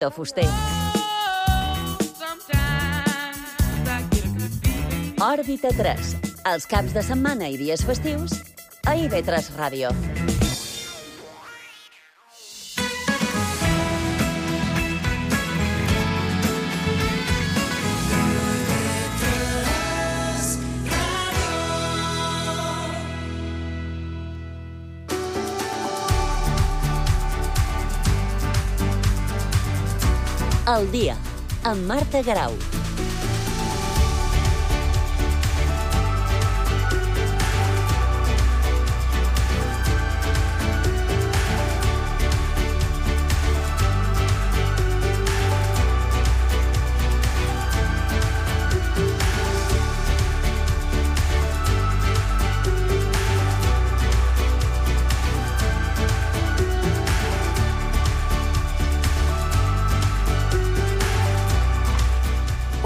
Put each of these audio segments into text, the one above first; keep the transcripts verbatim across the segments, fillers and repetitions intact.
de fuster. Òrbita tres, els caps de setmana i dies festius, a I V tres Ràdio. El dia, amb Marta Garau.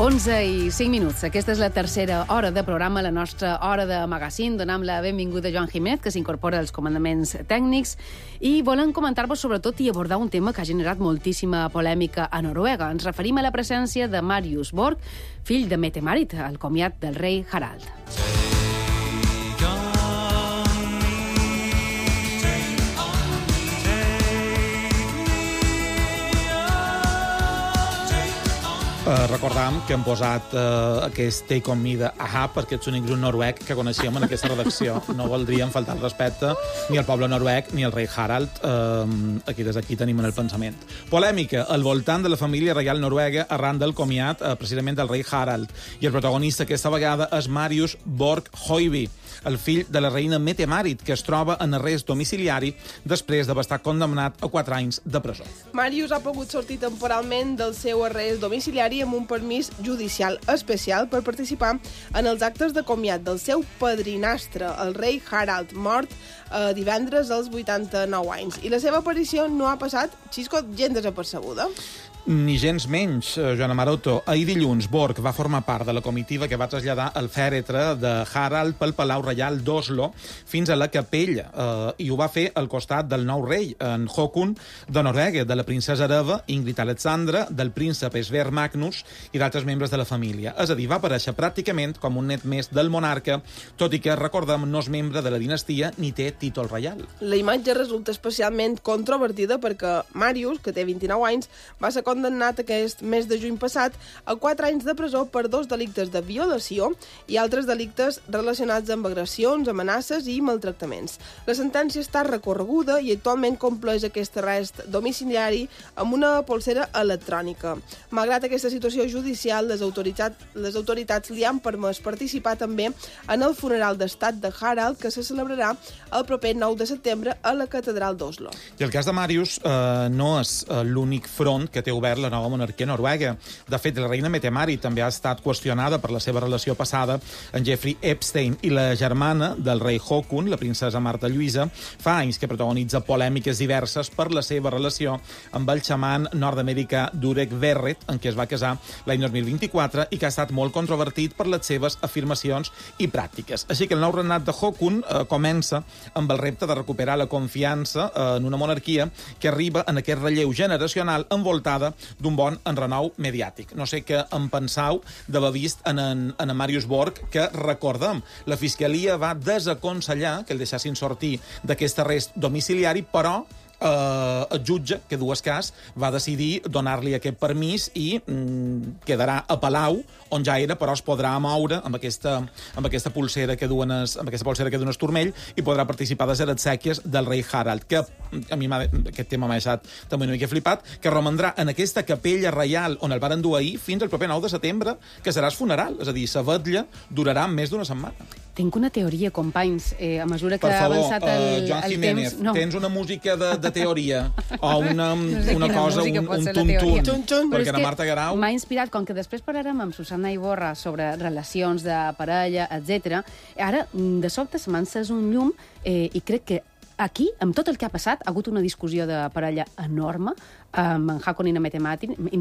onze i cinc minuts. Aquesta és la tercera hora de programa, la nostra hora de magazín. Donem la benvinguda a Joan Jiménez, que s'incorpora als comandaments tècnics, i volem comentar-vos sobretot i abordar un tema que ha generat moltíssima polèmica a Noruega. Ens referim a la presència de Marius Borg, fill de Mette-Marit, al comiat del rei Harald. Uh, recordàvem que hem posat uh, aquest Take On Me de A-ha perquè ets l'únic grup noruec que coneixíem en aquesta redacció. No voldríem faltar el respecte ni al poble noruec ni al rei Harald. Uh, aquí des d'aquí tenim en el pensament. Polèmica al voltant de la família reial noruega arran del comiat uh, precisament del rei Harald. I el protagonista aquesta vegada és Marius Borg Høiby, el fill de la reina Mette-Marit, que es troba en arrest domiciliari després d'haver estat condemnat a quatre anys de presó. Marius ha pogut sortir temporalment del seu arrest domiciliari amb un permís judicial especial per participar en els actes de comiat del seu padrinastre, el rei Harald, mort eh, divendres als vuitanta-nou anys. I la seva aparició no ha passat, Xisco, gens desapercebuda. Ni gens menys, Joana Maroto. Ahir dilluns, Borg va formar part de la comitiva que va traslladar el fèretre de Harald pel Palau Reial d'Oslo fins a la capella, eh, i ho va fer al costat del nou rei, en Håkon de Noruega, de la princesa hereva Ingrid Alexandra, del príncep Sverre Magnus i d'altres membres de la família. És a dir, va aparèixer pràcticament com un net més del monarca, tot i que, recordem, no és membre de la dinastia ni té títol reial. La imatge resulta especialment controvertida perquè Marius, que té vint-i-nou anys, va ser condemnat aquest mes de juny passat a quatre anys de presó per dos delictes de violació i altres delictes relacionats amb agressions, amenaces i maltractaments. La sentència està recorreguda i actualment compleix aquest arrest domiciliari amb una polsera electrònica. Malgrat aquesta situació judicial, les autoritats, les autoritats li han permès participar també en el funeral d'estat de Harald, que se celebrarà el proper nou de setembre a la catedral d'Oslo. I el cas de Marius eh, no és eh, l'únic front que té obert la nova monarquia noruega. De fet, la reina Mette-Marit també ha estat qüestionada per la seva relació passada amb Jeffrey Epstein, i la germana del rei Håkon, la princesa Marta Lluïsa, fa anys que protagonitza polèmiques diverses per la seva relació amb el xaman nord-americà Durek Verret, en què es va casar l'any dos mil vint-i-quatre i que ha estat molt controvertit per les seves afirmacions i pràctiques. Així que el nou regnat de Håkon eh, comença amb el repte de recuperar la confiança eh, en una monarquia que arriba en aquest relleu generacional envoltada d'un bon enrenou mediàtic. No sé què en pensau d'haver vist en, en, en Marius Borg, que, recordem, la Fiscalia va desaconsellar que el deixessin sortir d'aquest arrest domiciliari, però Uh, el jutge, que dues cas, va decidir donar-li aquest permís i mm, quedarà a Palau, on ja era, però es podrà moure amb aquesta, amb aquesta pulsera que duen es, amb aquesta pulsera que duen el turmell, i podrà participar de les exèquies del rei Harald, que a mi aquest tema m'ha deixat també una mica flipat, que romandrà en aquesta capella reial on el van endur ahir fins al proper nou de setembre, que serà el funeral, és a dir, la vetlla durarà més d'una setmana. Tinc una teoria, companys, eh, a mesura que per ha favor, avançat el, uh, Joan el Jiménez, temps... No. Tens una música de, de teoria o una, No sé una quina cosa, música un, pot un ser la tuntun, teoria. Tun-tun. Però perquè és la que Marta Garau... M'ha inspirat, com que després parlarem amb Susana Iborra sobre relacions de parella, etcètera. Ara, de sobte, se m'ha encès un llum eh, i crec que aquí, amb tot el que ha passat, ha hagut una discussió de parella enorme amb en Håkon i na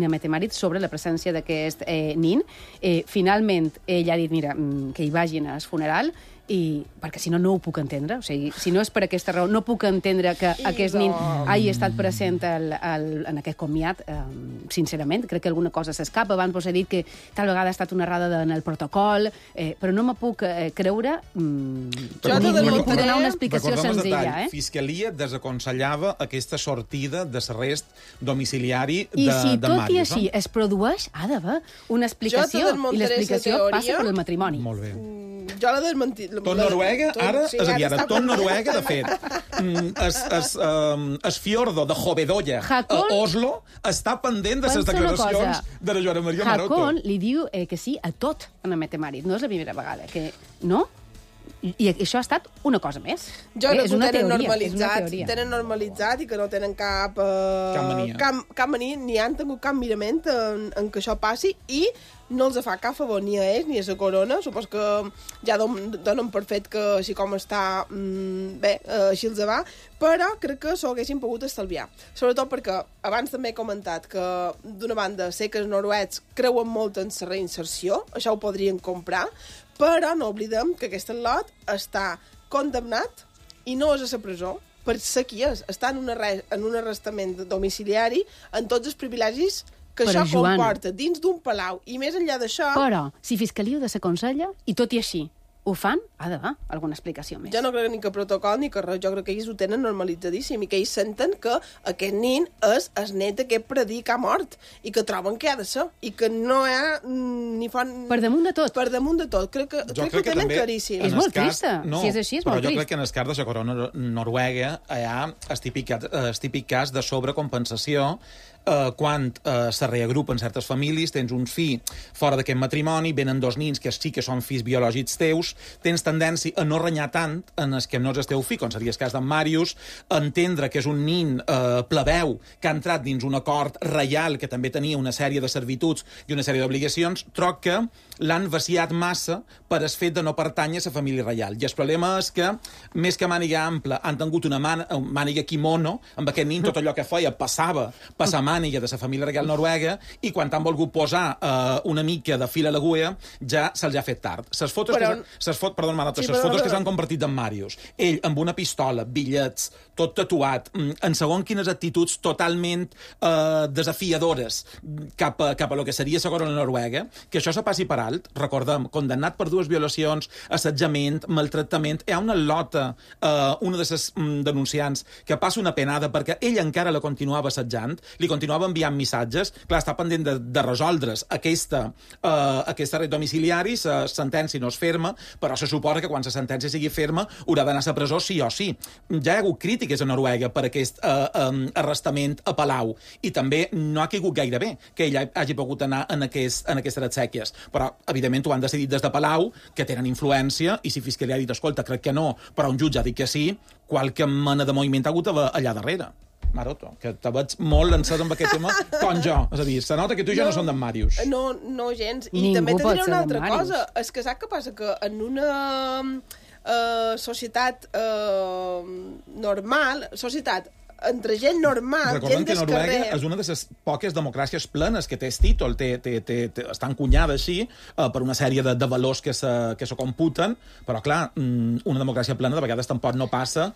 Mette-Marit sobre la presència d'aquest eh, nin. Eh, finalment, ell ha dit, mira, que hi vagin al funeral, i perquè si no, no ho puc entendre. O sigui, si no és per aquesta raó, no puc entendre que I aquest no. nin hagi estat present al, al, en aquest comiat, eh, sincerament. Crec que alguna cosa s'escapa. Abans vos he dit que tal vegada ha estat una errada en el protocol, eh, però no me puc eh, creure... Mm, Jo ni, te ni puc donar una desmuntaré. explicació Recordem el senzilla. detall. Eh? Fiscalia desaconsellava aquesta sortida de l'arrest domiciliari de, I si de tot Màrius. i així es produeix, ha d'haver una explicació, i desmuntaré l'explicació sa teoria. passa per el matrimoni. Molt bé. Jo la desmentit. Tot Noruega, ara, sí, és a dir, ara, està tot per- Noruega, de fet, mm, es, es, um, es fiordo de Hovedoya Hakon- a Oslo està pendent de les Pensa una declaracions cosa. de la Joana Maria Maroto. Hakon li diu eh, que sí a tot en Mette Marit. No és la primera vegada. Que, no? I, I això ha estat una cosa més. Jo eh, crec és que ho una tenen teoria, és una normalitzat, teoria. tenen normalitzat i que no tenen cap... Uh, Cap mania. Cap, cap mania, ni han tingut cap mirament en, en que això passi i no els fa cap favor ni a ells ni a la corona. Supos que ja don, donen per fet que així com està, mm, bé, uh, així els va, però crec que s'ho haguessin pogut estalviar. Sobretot perquè abans també he comentat que, d'una banda, sé que els noruecs creuen molt en la reinserció, això ho podrien comprar, però no oblidem que aquest lot està condemnat i no és a la presó per ser qui és. Està en un, arrest, en un arrestament domiciliari amb tots els privilegis que Però, això Joan, comporta dins d'un palau. I més enllà d'això, Però, si Fiscalia ho desaconsella, i tot i així ho fan, ha d'haver alguna explicació més. jo no crec ni que protocol ni que res. Jo crec que ells ho tenen normalitzadíssim i que ells senten que aquest nin és el net d'aquest predí que ha mort i que troben que ha de ser i que no hi ha mm, ni fan... Per damunt de tot. Per damunt de tot. Crec que, crec que ho tenen claríssim. És en molt el cas- trista. Si és així, és però molt jo trist. crec que en el cas de la corona noruega hi ha el típic, el típic cas de sobrecompensació eh, quan eh, se reagrupen certes famílies, tens un fill fora d'aquest matrimoni, venen dos nins que sí que són fills biològics teus, tens tendència a no renyar tant en els que no és el teu fill, com seria el cas d'en Màrius, entendre que és un nin eh, plebeu que ha entrat dins un acord reial que també tenia una sèrie de servituds i una sèrie d'obligacions, troc que l'han vaciat massa per el fet de no pertànyer a la família reial. I el problema és que, més que màniga ampla, han tingut una man màniga kimono, amb aquest nin tot allò que feia passava per la màniga de la família reial noruega, i quan han volgut posar eh, una mica de fil a l'agulla, ja se'ls ha fet tard. Ses fotos Però... que, ses fot, perdó, Manota, Sí, ses però- fotos que s'han compartit d'en Màrius, ell amb una pistola, bitllets, tot tatuat, mm, en segon quines actituds totalment eh, desafiadores cap a, cap a lo que seria la corona noruega, que això se passi per alt, recordem, condemnat per dues violacions, assetjament, maltractament, hi ha una lota, eh, una de les mm, denunciants, que passa una penada perquè ell encara la continuava assetjant, li continuava enviant missatges, clar, està pendent de, de resoldre's aquesta, eh, aquesta red domiciliari, la sentència no és ferma, però se suposa que quan la sentència sigui ferma haurà d'anar a la presó sí o sí. Ja hi ha hagut crítiques a Noruega per aquest eh, eh, arrestament a Palau, i també no ha caigut gaire bé que ell hagi pogut anar en, aquest, en aquestes exèquies, però evidentment ho han decidit des de Palau, que tenen influència, i si Fiscalia ha dit, escolta, crec que no, però un jutge ha dit que sí, qualque mena de moviment ha hagut allà darrere. Maroto, que te veig molt lançat amb aquest tema, com jo. És a dir, se nota que tu i jo no, no som d'en Màrius. No, no gens. I Ningú també te pot diré ser una d'en altra Màrius. cosa. És que saps què passa? Que en una uh, societat uh, normal, societat entre gent normal, Recordem gent que del Noruega carrer... és una de les poques democràcies plenes que té el títol, té, té, té, té, està encunyada així eh, per una sèrie de, de valors que se, que se computen, però clar, una democràcia plena de vegades tampoc no passa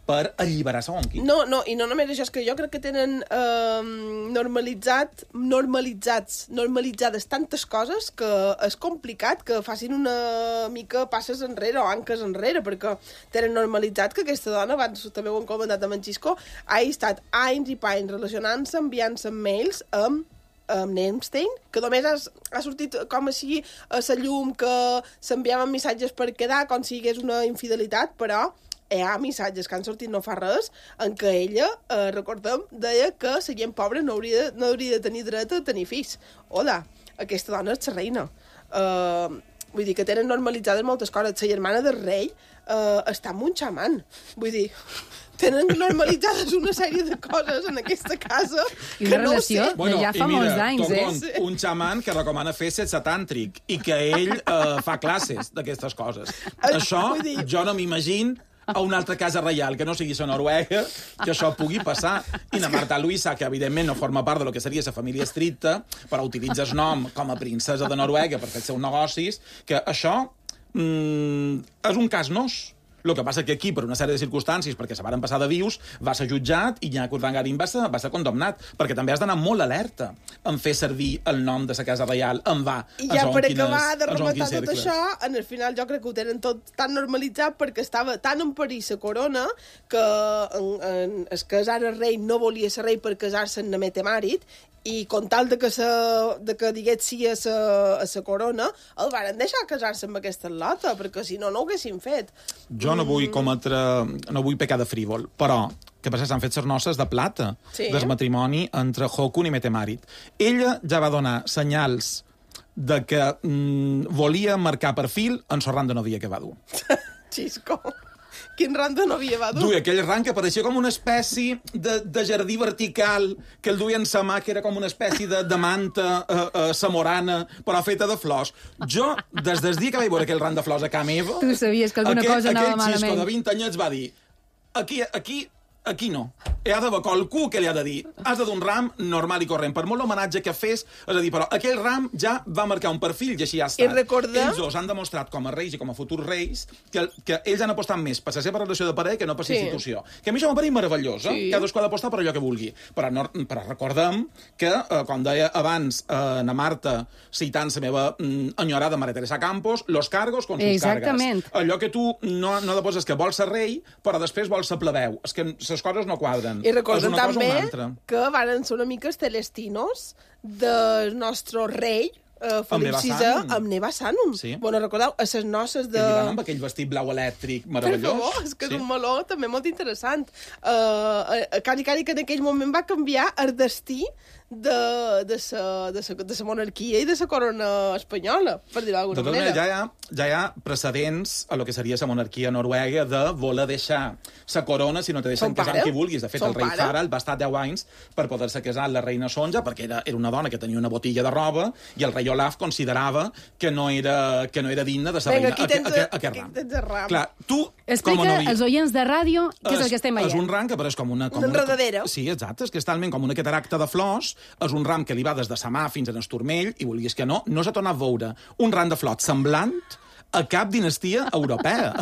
per alliberar segons qui. No, no, i no només això, és que jo crec que tenen eh, normalitzat, normalitzats, normalitzades tantes coses que és complicat que facin una mica passes enrere o anques enrere, perquè tenen normalitzat que aquesta dona, abans també ho hem comentat amb en Xisco, ha estat anys i panys relacionant-se, enviant-se mails amb amb Nemstein, que només ha, ha sortit com així a la llum que s'enviaven missatges per quedar, com si hi hagués una infidelitat, però hi ha missatges que han sortit no fa res en què ella, eh, recordem, deia que la gent pobra no hauria, no hauria de tenir dret a tenir fills. Hola, aquesta dona és la reina. Uh, vull dir que tenen normalitzades moltes coses. La germana del rei uh, està amb un xaman. Vull dir, tenen normalitzades una sèrie de coses en aquesta casa I que una no ho relació sé. de ja fa molts anys, eh? Tocont, un xaman que recomana fer sexe tàntric i que ell eh, fa classes d'aquestes coses. Eh, Això vull dir- jo no m'imagino a una altra casa reial que no sigui la Noruega, que això pugui passar. I la Marta Luisa, que evidentment no forma part de lo que seria la família estricta, però utilitza el nom com a princesa de Noruega per fer els seus negocis, que això mm, és un cas nos. El que passa que aquí, per una sèrie de circumstàncies, perquè se varen passar de vius, va ser jutjat i Nyako Urdangarin va ser, va ser condemnat, perquè també has d'anar molt alerta en fer servir el nom de la Casa Reial, en va. I ja per acabar de rematar tot això, en el final jo crec que ho tenen tot tan normalitzat perquè estava tan en perill la corona que en, en, es casar el rei no volia ser rei per casar-se amb Namete Marit, i con tal de que, sa, de que digués sí a la corona, el varen deixar casar-se amb aquesta lota, perquè si no, no ho haguessin fet. Jo no vull cometre... no vull pecar de frívol, però que per s'han fet les noces de plata sí. del matrimoni entre Håkon i Mette Marit. Ella ja va donar senyals de que mm, volia marcar perfil en el ran de novia que va dur. Xisco. Quin ran de novia va dur? Duia aquell ran que pareixia com una espècie de, de jardí vertical, que el duia en sa mà, que era com una espècie de, de manta uh, uh, samorana, però feta de flors. Jo, des del dia que vaig veure aquell ran de flors a ca meva... Tu sabies que alguna aquell, cosa anava malament. Aquell xisco de vint anyets va dir, aquí, aquí, aquí no. Hi ha d'haver qualcú que li ha de dir, has de d'un ram normal i corrent, per molt homenatge que fes, és a dir, però aquell ram ja va marcar un perfil i així ha estat. I recordar... Ells dos han demostrat com a reis i com a futurs reis que, que ells han apostat més per la seva relació de parella que no per la sí. institució. Que a mi això m'apareix meravellós, eh? Sí. Cadascú ha d'apostar per allò que vulgui. Però, no, però recordem que, eh, com deia abans eh, na Marta, citant la meva mm, enyorada Maria Teresa Campos, los cargos con sus Exactament. cargas. Allò que tu no, no deposes que vols ser rei, però després vols ser plebeu. És que les coses no quadren. I recorden també que varen ser una mica els celestinos del nostre rei, uh, Felip sisè, amb Neva Sanum. Sí. Bueno, recordeu, a les noces de... Que hi van amb aquell vestit blau elèctric meravellós. Per favor, és que sí. És un meló també molt interessant. Uh, cari, cari, que en aquell moment va canviar el destí de, de, sa, de, sa, de sa monarquia i de la corona espanyola, per dir-ho d'alguna manera. Ja hi, ha, ja hi ha precedents a lo que seria la monarquia noruega de voler deixar la corona si no te deixen casar amb qui vulguis. De fet, Son el rei pare. Harald va estar deu anys per poder-se casar amb la reina Sonja, perquè era, era una dona que tenia una botilla de roba i el rei Olaf considerava que no era, que no era digna de ser reina. Aquí tens, a, a, a, a aquí tens el ram. Clar, tu, explica com a novi... als oients de ràdio què és, és el que estem veient. És un ram que apareix com una... Com una enredadera. Sí, exacte, és que és talment com una cataracta de flors, és un ram que li va des de sa mà fins a l'esturmell, i volies que no, no s'ha tornat a veure un ram de flors semblant a cap dinastia europea.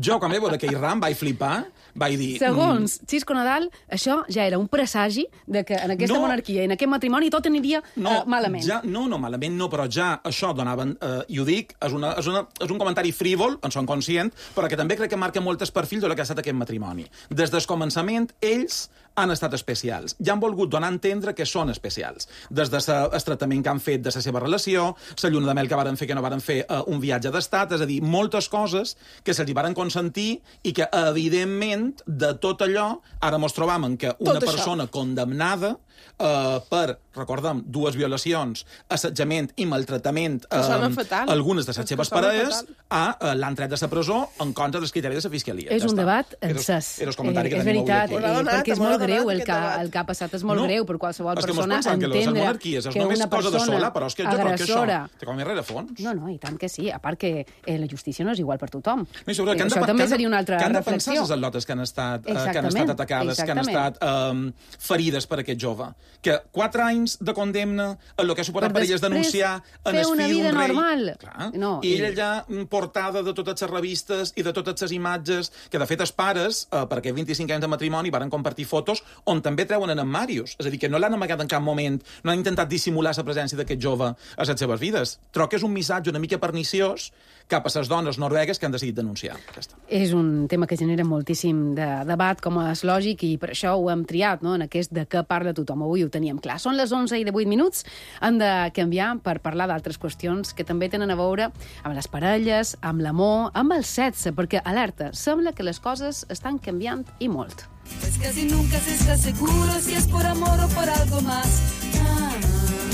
Jo, quan vaig veure aquell ram, vaig flipar, vaig dir... Segons Xisco Nadal, això ja era un presagi de que en aquesta no, monarquia i en aquest matrimoni tot aniria no, uh, malament. Ja, no, no, malament no, però ja això donaven... Uh, i ho dic, és, una, és, una, és un comentari frívol, en som conscient, però que també crec que marca moltes perfils de lo que ha estat aquest matrimoni. Des del començament, ells han estat especials. Ja han volgut donar a entendre que són especials. Des del de tractament que han fet de la seva relació, la lluna de mel que varen fer, que no varen fer uh, un viatge d'estat, és a dir, moltes coses que se'ls hi varen consentir i que, evidentment, de tot allò, ara mos trobam en que una tot persona això. condemnada uh, per, recordem, dues violacions, assetjament i maltratament uh, algunes de les seves parelles, a, uh, l'han tret de la presó en contra dels criteris de la fiscalia. És ja un està. debat encès. Era el comentari eh, que és veritat, avui eh, perquè és molt greu, el que, debat. el que ha passat és molt no, greu per qualsevol persona que entendre que, que una persona sola, però és que agressora... Té com a rerefons. No, no, i tant que sí. A part que eh, la justícia no és igual per tothom. No, i sobre, eh, que això de, també que seria una altra reflexió. Que han de reflexió. pensar les atletes que han estat, uh, que han estat atacades, exactament. que han estat um, ferides per aquest jove. Que quatre anys de condemna en el que ha suposat per, per elles denunciar en el fill d'un rei... normal. Clar, no, I ella ja portada de totes les revistes i de totes les imatges, que de fet els pares, uh, per aquests vint-i-cinc anys de matrimoni, varen compartir fotos on també treuen en Màrius. És a dir, que no l'han amagat en cap moment, no han intentat dissimular la presència d'aquest jove a les seves vides. Trobo que és un missatge una mica perniciós cap a les dones noruegues que han decidit denunciar. Ja és un tema que genera moltíssim de debat, com és lògic, i per això ho hem triat, no?, en aquest de què parla tothom. Avui ho teníem clar. Són les onze i divuit minuts, han de canviar per parlar d'altres qüestions que també tenen a veure amb les parelles, amb l'amor, amb el sexe, perquè, alerta, sembla que les coses estan canviant i molt. Es casi nunca se está seguro si es por amor o por algo más. Ah,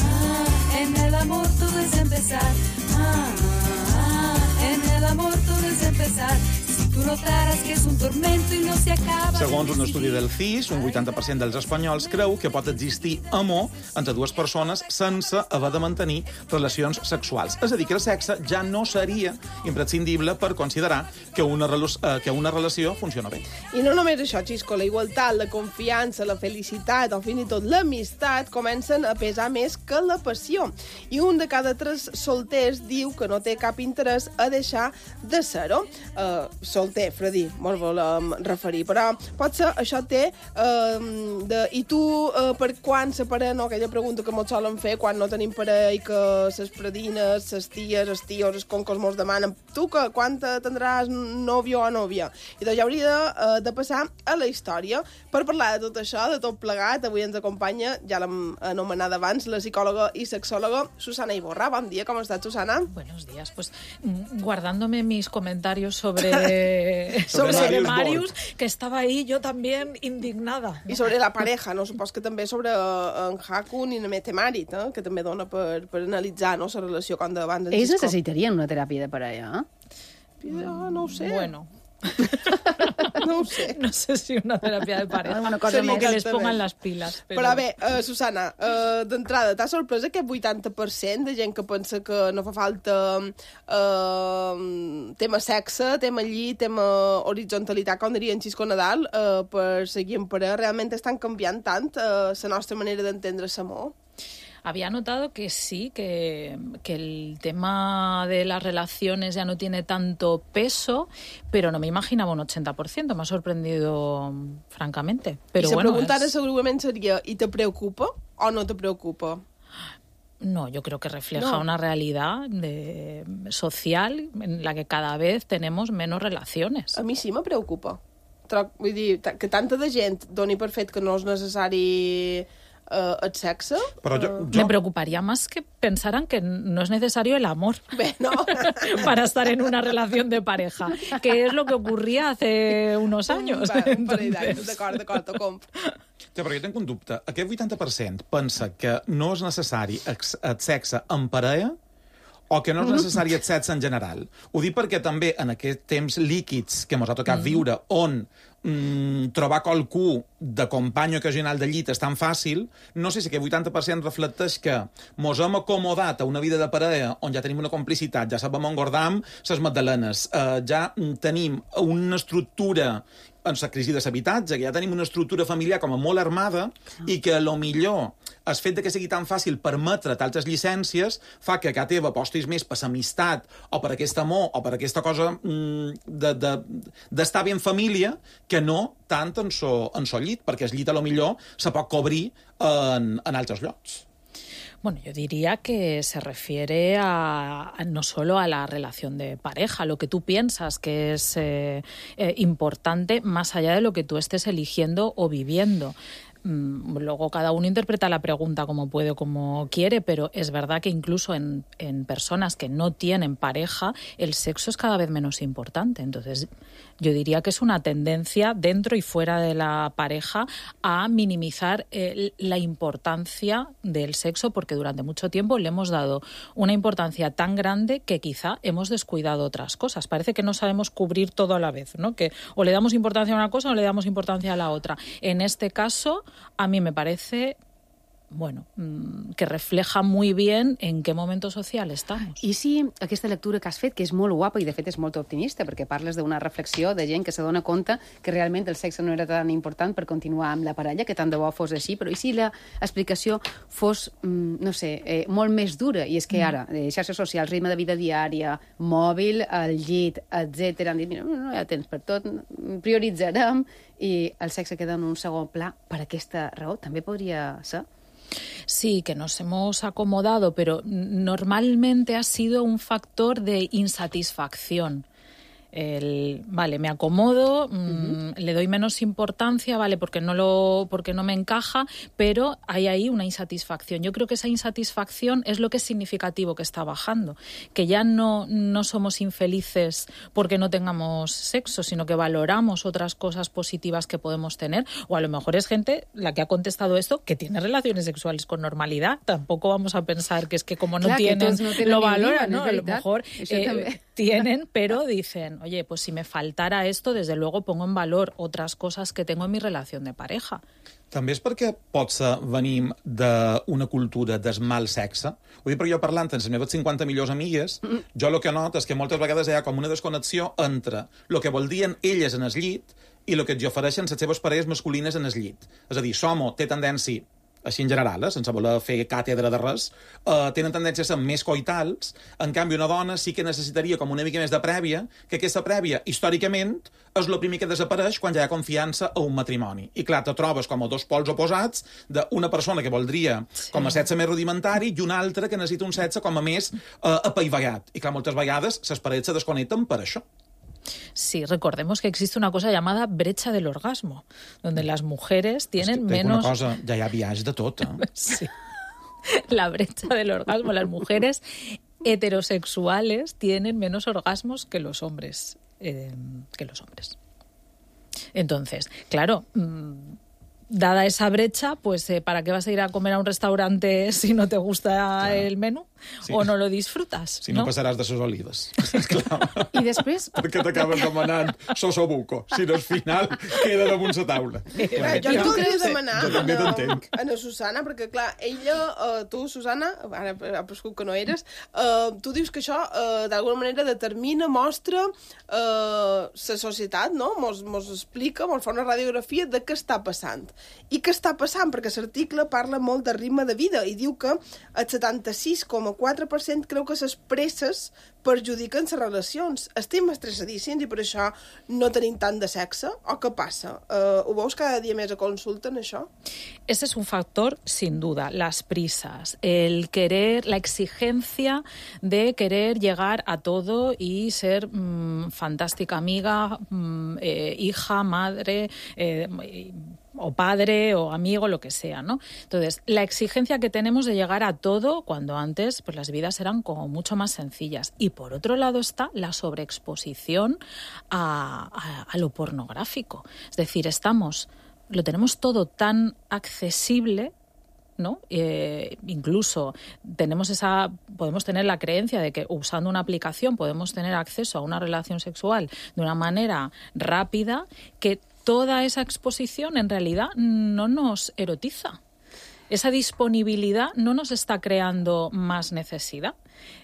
ah, en el amor todo es empezar. Ah, ah, en el amor todo es empezar. Si tú no notarás que es un tormento y no se acaba. Segons un estudi del C I S, un vuitanta per cent dels espanyols creu que pot existir amor entre dues persones sense haver de mantenir relacions sexuals. És a dir, que el sexe ja no seria imprescindible per considerar que una, eh, que una relació funciona bé. I no només això, Xisco, la igualtat, la confiança, la felicitat o fins i tot l'amistat comencen a pesar més que la passió. I un de cada tres solters diu que no té cap interès a deixar de ser-ho. Uh, solter, Fredí, mos volem referir, però potser això té uh, de... I tu, uh, per quan se parella, no? Aquella pregunta que mos solen fer quan no tenim parella i que ses predines, ses ties, els tios, els concos mos demanen tu que quan tindràs nòvio o nòvia? I doncs ja hauria de, uh, de passar a la història. Per parlar de tot això, de tot plegat, avui ens acompanya, ja l'hem anomenada abans, la psicòloga i sexòloga Susana Iborra. Bon dia, com estàs, Susana? Buenos días. Pues guardándome mis comentarios sobre, sobre, sobre Marius, que estaba ahí yo también indignada. I sobre la pareja, no? Supos que també sobre en Hakun i en Metemarit, eh? Que també dona per, per analitzar, no?, la relació com d'abans. Ells necessitarien una teràpia de parella, eh? Ja, no ho sé. Bueno. No ho sé. No sé si una teràpia de pareja. Una cosa Seria més. que les pongan les piles. Però, però bé, uh, Susana, uh, d'entrada, t'ha sorprès aquest vuitanta per cent de gent que pensa que no fa falta uh, tema sexe, tema llit, tema horizontalitat, com diria en Xisco Nadal, uh, per seguir en parella? Realment estan canviant tant uh, la nostra manera d'entendre l'amor? Había notado que sí, que, que el tema de las relaciones ya no tiene tanto peso, pero no me imaginaba un ochenta por ciento. Me ha sorprendido, francamente. Pero I si bueno, preguntar es... segurament seria, ¿y te preocupa o no te preocupa? No, yo creo que refleja no. una realidad de, social en la que cada vez tenemos menos relaciones. A mi sí me preocupa. Vull dir, que tanta de gent doni per fet que no és necessari uh, el sexe... Però jo, Uh, jo... Me preocuparía más que pensaran que no es necesario el amor Bé, no. para estar en una relación de pareja, que es lo que ocurría hace unos años. Va, un Entonces... parell d'anys, d'acord, d'acord, t'ho compro. Ja, però jo tinc un dubte. Aquest vuitanta per cent pensa que no és necessari el sexe en parella o que no és necessari el sexe en general. Ho dic perquè també en aquests temps líquids que ens ha tocat mm. viure, on mm, trobar qualcú de company ocasional de llit és tan fàcil, no sé si aquest vuitanta per cent reflecteix que mos hem acomodat a una vida de parella on ja tenim una complicitat, ja sabem engordar ses magdalenes, eh, ja tenim una estructura en la crisi de l'habitatge, que ja tenim una estructura familiar com a molt armada i que, a lo millor, el fet de que sigui tan fàcil permetre altres llicències fa que a casa teva apostis més per l'amistat o per aquest amor o per aquesta cosa mm, de, de, d'estar bé en família que no tant en so, en so llit, perquè el llit, a lo millor, se pot cobrir en, en altres llocs. Bueno, yo diría que se refiere a, a no solo a la relación de pareja, lo que tú piensas que es eh, eh, importante más allá de lo que tú estés eligiendo o viviendo. Luego cada uno interpreta la pregunta como puede o como quiere, pero es verdad que incluso en, en personas que no tienen pareja, el sexo es cada vez menos importante. Entonces, yo diría que es una tendencia dentro y fuera de la pareja a minimizar eh, la importancia del sexo, porque durante mucho tiempo le hemos dado una importancia tan grande que quizá hemos descuidado otras cosas. Parece que no sabemos cubrir todo a la vez, ¿no? Que o le damos importancia a una cosa o le damos importancia a la otra. En este caso, a mí me parece, bueno, que refleja muy bien en qué momento social estamos. I si aquesta lectura que has fet, que és molt guapa i de fet és molt optimista, perquè parles d'una reflexió de gent que se dona compte que realment el sexe no era tan important per continuar amb la parella, que tant de bo fos així, però i si l'explicació fos, no sé, eh, molt més dura, i és que ara, eh, xarxes socials, ritme de vida diària, mòbil, el llit, etcètera, han dit, mira, no hi ha temps per tot, prioritzarem, i el sexe queda en un segon pla per aquesta raó. També podria ser? Sí, que nos hemos acomodado, pero normalmente ha sido un factor de insatisfacción. El, vale, me acomodo, uh-huh. mmm, le doy menos importancia, vale, porque no lo, porque no me encaja, pero hay ahí una insatisfacción. Yo creo que esa insatisfacción es lo que es significativo que está bajando, que ya no, no somos infelices porque no tengamos sexo, sino que valoramos otras cosas positivas que podemos tener, o a lo mejor es gente la que ha contestado esto que tiene relaciones sexuales con normalidad. Tampoco vamos a pensar que es que como no Clar, tienen, no lo valoran, ¿no? A lo mejor... Eh, tienen, pero dicen, oye, pues si me faltara esto, desde luego pongo en valor otras cosas que tengo en mi relación de pareja. També és perquè potser venim d'una cultura del mal sexe. Ho dic perquè jo parlant amb les meves cinquanta millors amigues, mm. jo el que noto és que moltes vegades hi ha com una desconnexió entre el que voldrien elles en el llit i el que ens ofereixen les seves parelles masculines en el llit. És a dir, l'home té tendència, així en general, eh, sense voler fer càtedra de res, eh, tenen tendència a ser més coitals. En canvi, una dona sí que necessitaria com una mica més de prèvia, que aquesta prèvia, històricament, és el primer que desapareix quan ja hi ha confiança a un matrimoni. I clar, te trobes com a dos pols oposats d'una persona que voldria sí. com a sexe més rudimentari i una altra que necessita un sexe com a més eh, apaivagat. I clar, moltes vegades les parelles se desconnecten per això. Sí, recordemos que existe una cosa llamada brecha del orgasmo, donde las mujeres tienen es que menos... Una cosa, ja hi ha viatge de tot, eh? Sí. La brecha del orgasmo. Las mujeres heterosexuales tienen menos orgasmos que los hombres. Eh, que los hombres. Entonces, claro... Mmm, dada esa brecha, pues eh, ¿para qué vas a ir a comer a un restaurante si no te gusta claro. el menú? Sí. O no lo disfrutas, si no, no passaràs de ses olives. I després... Perquè t'acabes demanant sosobuco, si no al final queda damunt la taula. Clar, jo et voldria demanar jo també t'entenc. a la Susana, perquè clar, ella, uh, tu, Susana, ara ha prescut que no eres, uh, tu dius que això uh, d'alguna manera determina, mostra uh, la societat, no? Mos, mos explica, mos fa una radiografia de què està passant. I què està passant? Perquè l'article parla molt de ritme de vida i diu que el setanta-sis coma quatre per cent creu que les presses perjudiquen les relacions. Estem estressadíssims i per això no tenim tant de sexe? O què passa? Uh, ho veus cada dia més a consulta en això? Ese es un factor, sin duda, las prisas, el querer, la exigencia de querer llegar a todo y ser mmm, fantástica amiga, mmm, eh, hija, madre... Eh, o padre, o amigo, lo que sea, ¿no? Entonces, la exigencia que tenemos de llegar a todo, cuando antes pues las vidas eran como mucho más sencillas. Y por otro lado está la sobreexposición a, a, a lo pornográfico. Es decir, estamos, lo tenemos todo tan accesible, ¿no? Eh, incluso tenemos esa, podemos tener la creencia de que usando una aplicación podemos tener acceso a una relación sexual de una manera rápida, que toda esa exposición en realidad no nos erotiza. Esa disponibilidad no nos está creando más necesidad.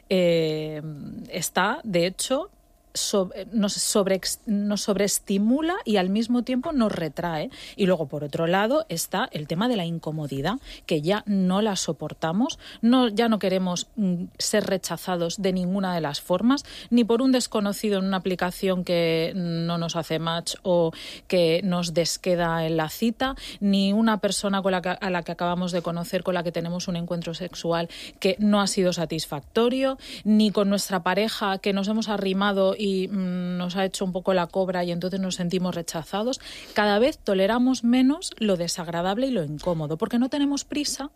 Eh, está, de hecho, sobre, nos, sobre, nos sobreestimula y al mismo tiempo nos retrae. Y luego, por otro lado, está el tema de la incomodidad, que ya no la soportamos, no, ya no queremos mm, ser rechazados de ninguna de las formas, ni por un desconocido en una aplicación que no nos hace match o que nos desqueda en la cita, ni una persona con la que, a la que acabamos de conocer, con la que tenemos un encuentro sexual que no ha sido satisfactorio, ni con nuestra pareja que nos hemos arrimado y y nos ha hecho un poco la cobra y entonces nos sentimos rechazados. Cada vez toleramos menos lo desagradable y lo incómodo, porque no tenemos prisa,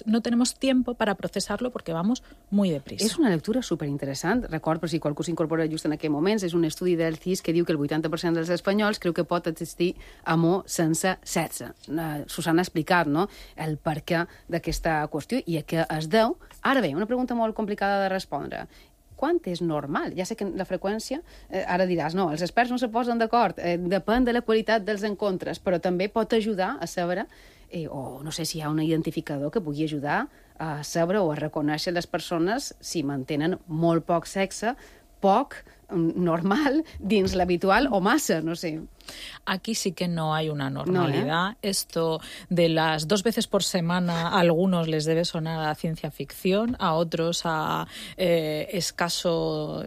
no tenemos tiempo para procesarlo porque vamos muy deprisa. És una lectura superinteressant. Record, per si qualcú s'incorpora just en aquest moments, és un estudi del C I S que diu que el vuitanta per cent dels espanyols creu que pot existir amor sense sexe. Susana ha explicat, no?, el perquè d'aquesta qüestió i a què es deu. Ara bé, una pregunta molt complicada de respondre. Quan és normal? Ja sé que la freqüència, eh, ara diràs, no, els experts no se posen d'acord, eh, depèn de la qualitat dels encontres, però també pot ajudar a saber, eh, o no sé si hi ha un identificador que pugui ajudar a saber o a reconèixer les persones si mantenen molt poc sexe, poc, normal, dins l'habitual o massa, no sé. Aquí sí que no hay una normalidad. No, ¿eh? Esto de las dos veces por semana a algunos les debe sonar a ciencia ficción, a otros a eh, escaso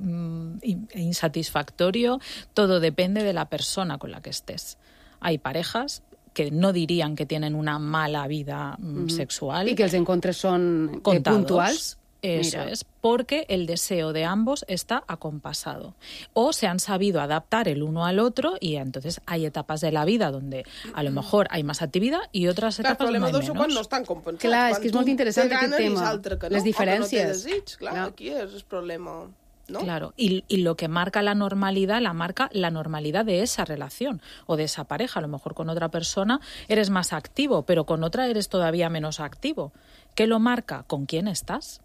e insatisfactorio. Todo depende de la persona con la que estés. Hay parejas que no dirían que tienen una mala vida mm, sexual. Y que els encontres són eh, puntuals. Eso Mira. es, porque el deseo de ambos está acompasado. O se han sabido adaptar el uno al otro y entonces hay etapas de la vida donde a lo mejor hay más actividad y otras clar, etapas donde hay menos. Quan no estan compensats. Clar, és que és molt interessant aquest tema. No, les diferències. No desig, clar, no. Aquí és el problema. ¿No? Claro, y, y lo que marca la normalidad, la marca la normalidad de esa relación o de esa pareja. A lo mejor con otra persona eres más activo, pero con otra eres todavía menos activo. ¿Qué lo marca? ¿Con quién estás?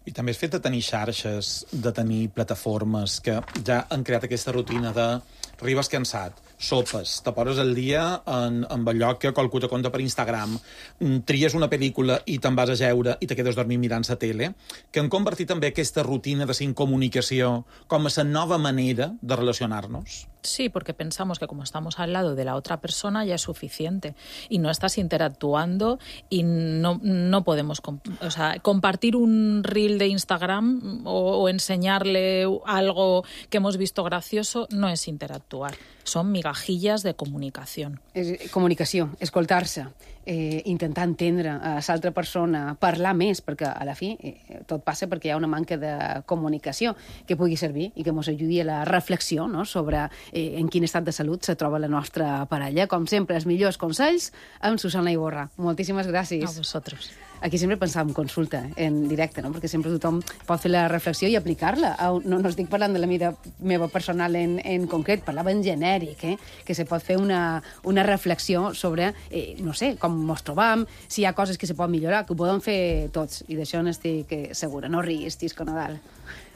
I també el fet de tenir xarxes, de tenir plataformes que ja han creat aquesta rutina de arribes cansat, sopes, te poses el dia en, en allò que qualcú te conta per Instagram, tries una pel·lícula i te'n vas a jeure i te quedes dormint mirant la tele, que han convertit també aquesta rutina de sin comunicació com a la nova manera de relacionar-nos. Sí, porque pensamos que como estamos al lado de la otra persona ya es suficiente y no estás interactuando y no, no podemos... O sea, compartir un reel de Instagram o, o enseñarle algo que hemos visto gracioso no es interactuar. Son migajillas de comunicación. És comunicació, escoltar-se, eh, intentar entendre a l'altra persona, parlar més, perquè a la fi eh, tot passa perquè hi ha una manca de comunicació que pugui servir i que ens ajudi a la reflexió, no?, sobre eh, en quin estat de salut se troba la nostra parella. Com sempre, els millors consells amb Susana Iborra. Moltíssimes gràcies. A vosaltres. Aquí sempre pensàvem consulta en directe, no?, perquè sempre tothom pot fer la reflexió i aplicar-la. No, no estic parlant de la meva, meva personal en, en concret, parlava en genèric, eh? Que se pot fer una, una reflexió sobre, eh, no sé, com ens trobam, si hi ha coses que se poden millorar, que ho podem fer tots, i d'això n'estic segura. No riguis, Tisco Nadal.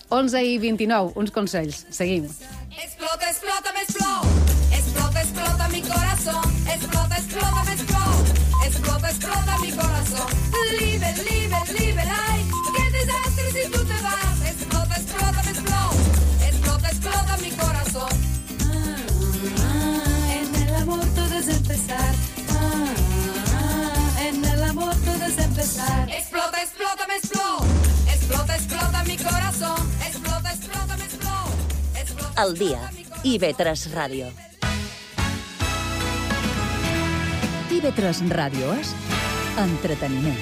onze i vint-i-nou, uns consells. Seguim. Explota, explota, me explota. Explota, explota mi corazón. Explota, explota, me explota. Explota, explota mi corazón. Liebe, liebe, liebe, ay. Qué desastre si tú te vas. Explota, explota, me explota. Explota, explota mi corazón. Ah, ah, en el amor todo es empezar. Ah, ah, en el amor todo es empezar. Explota, explota, me explota. Explota, explota mi corazón. Explota, explota, me explota. Explota, El dia. I ve tres Ràdio. I ve tres Ràdio és entreteniment.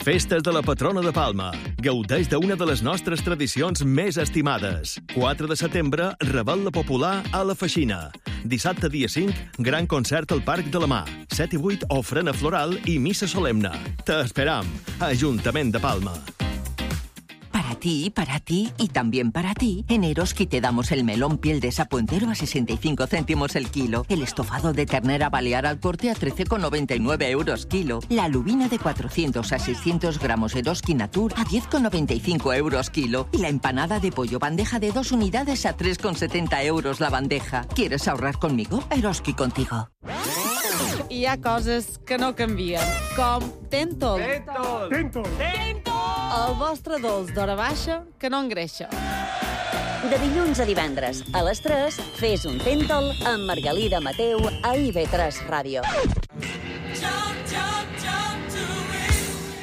Festes de la patrona de Palma. Gaudeix d'una de les nostres tradicions més estimades. quatre de setembre, Rebel·la Popular a la Feixina. Dissabte, dia cinc, gran concert al Parc de la Mar. set i vuit, ofrena floral i missa solemne. T'esperam. Ajuntament de Palma. Para ti, para ti y también para ti, en Eroski te damos el melón piel de sapo entero a sesenta y cinco céntimos el kilo, el estofado de ternera balear al corte a trece con noventa y nueve euros kilo, la lubina de cuatrocientos a seiscientos gramos Eroski Natur a diez con noventa y cinco euros kilo y la empanada de pollo bandeja de dos unidades a tres con setenta euros la bandeja. ¿Quieres ahorrar conmigo? Eroski contigo. Hi ha coses que no canvien, com Tentol. Tentol! Tentol! El vostre dolç d'hora baixa que no engreixa. De dilluns a divendres, a les tres, fes un Tentol amb Margalida Mateu a I ve tres Ràdio.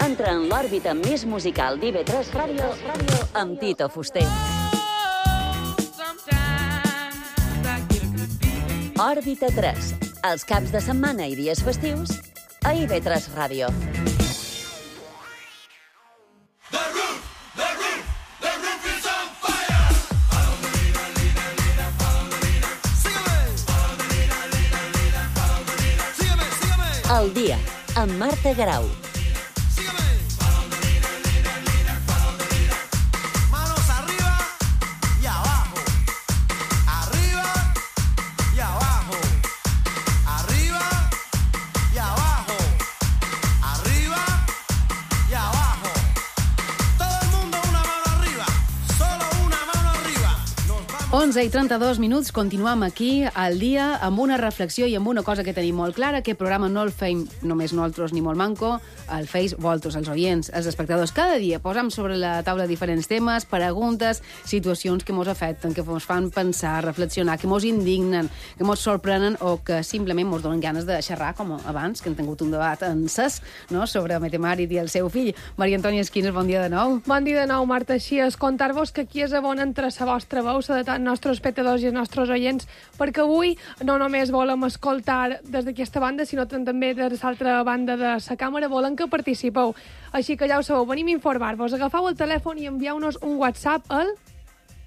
Entra en l'òrbita més musical d'I ve tres Ràdio amb Tito Fuster. Òrbita tres, els caps de setmana i dies festius a I ve tres Ràdio. El dia, amb Marta Garau. Manos arriba y abajo. Arriba y abajo. Arriba y abajo. Arriba y abajo. Todo el mundo una mano arriba. Solo una mano arriba. Nos vamos. onze i trenta-dos minuts, continuem aquí al dia amb una reflexió i amb una cosa que tenim molt clara. Aquest programa no el feim només nosaltres ni molt manco, el feis vosaltres, els oients, els espectadors. Cada dia posam sobre la taula diferents temes, preguntes, situacions que mos afecten, que mos fan pensar, reflexionar, que mos indignen, que mos sorprenen o que simplement mos donen ganes de xerrar, com abans, que hem tingut un debat encès, no?, sobre Metemàrit i el seu fill. Maria Antònia Esquines, bon dia de nou. Bon dia de nou, Marta. Així és, contar-vos que aquí és a bon entre la vostra veu, la de tant nostres espectadors i els nostres oients, perquè avui no només volem escoltar des d'aquesta banda, sinó també des de l'altra banda de la càmera, volem que participeu. Així que ja ho sabeu, venim a informar-vos. Agafeu el telèfon i envieu-nos un WhatsApp al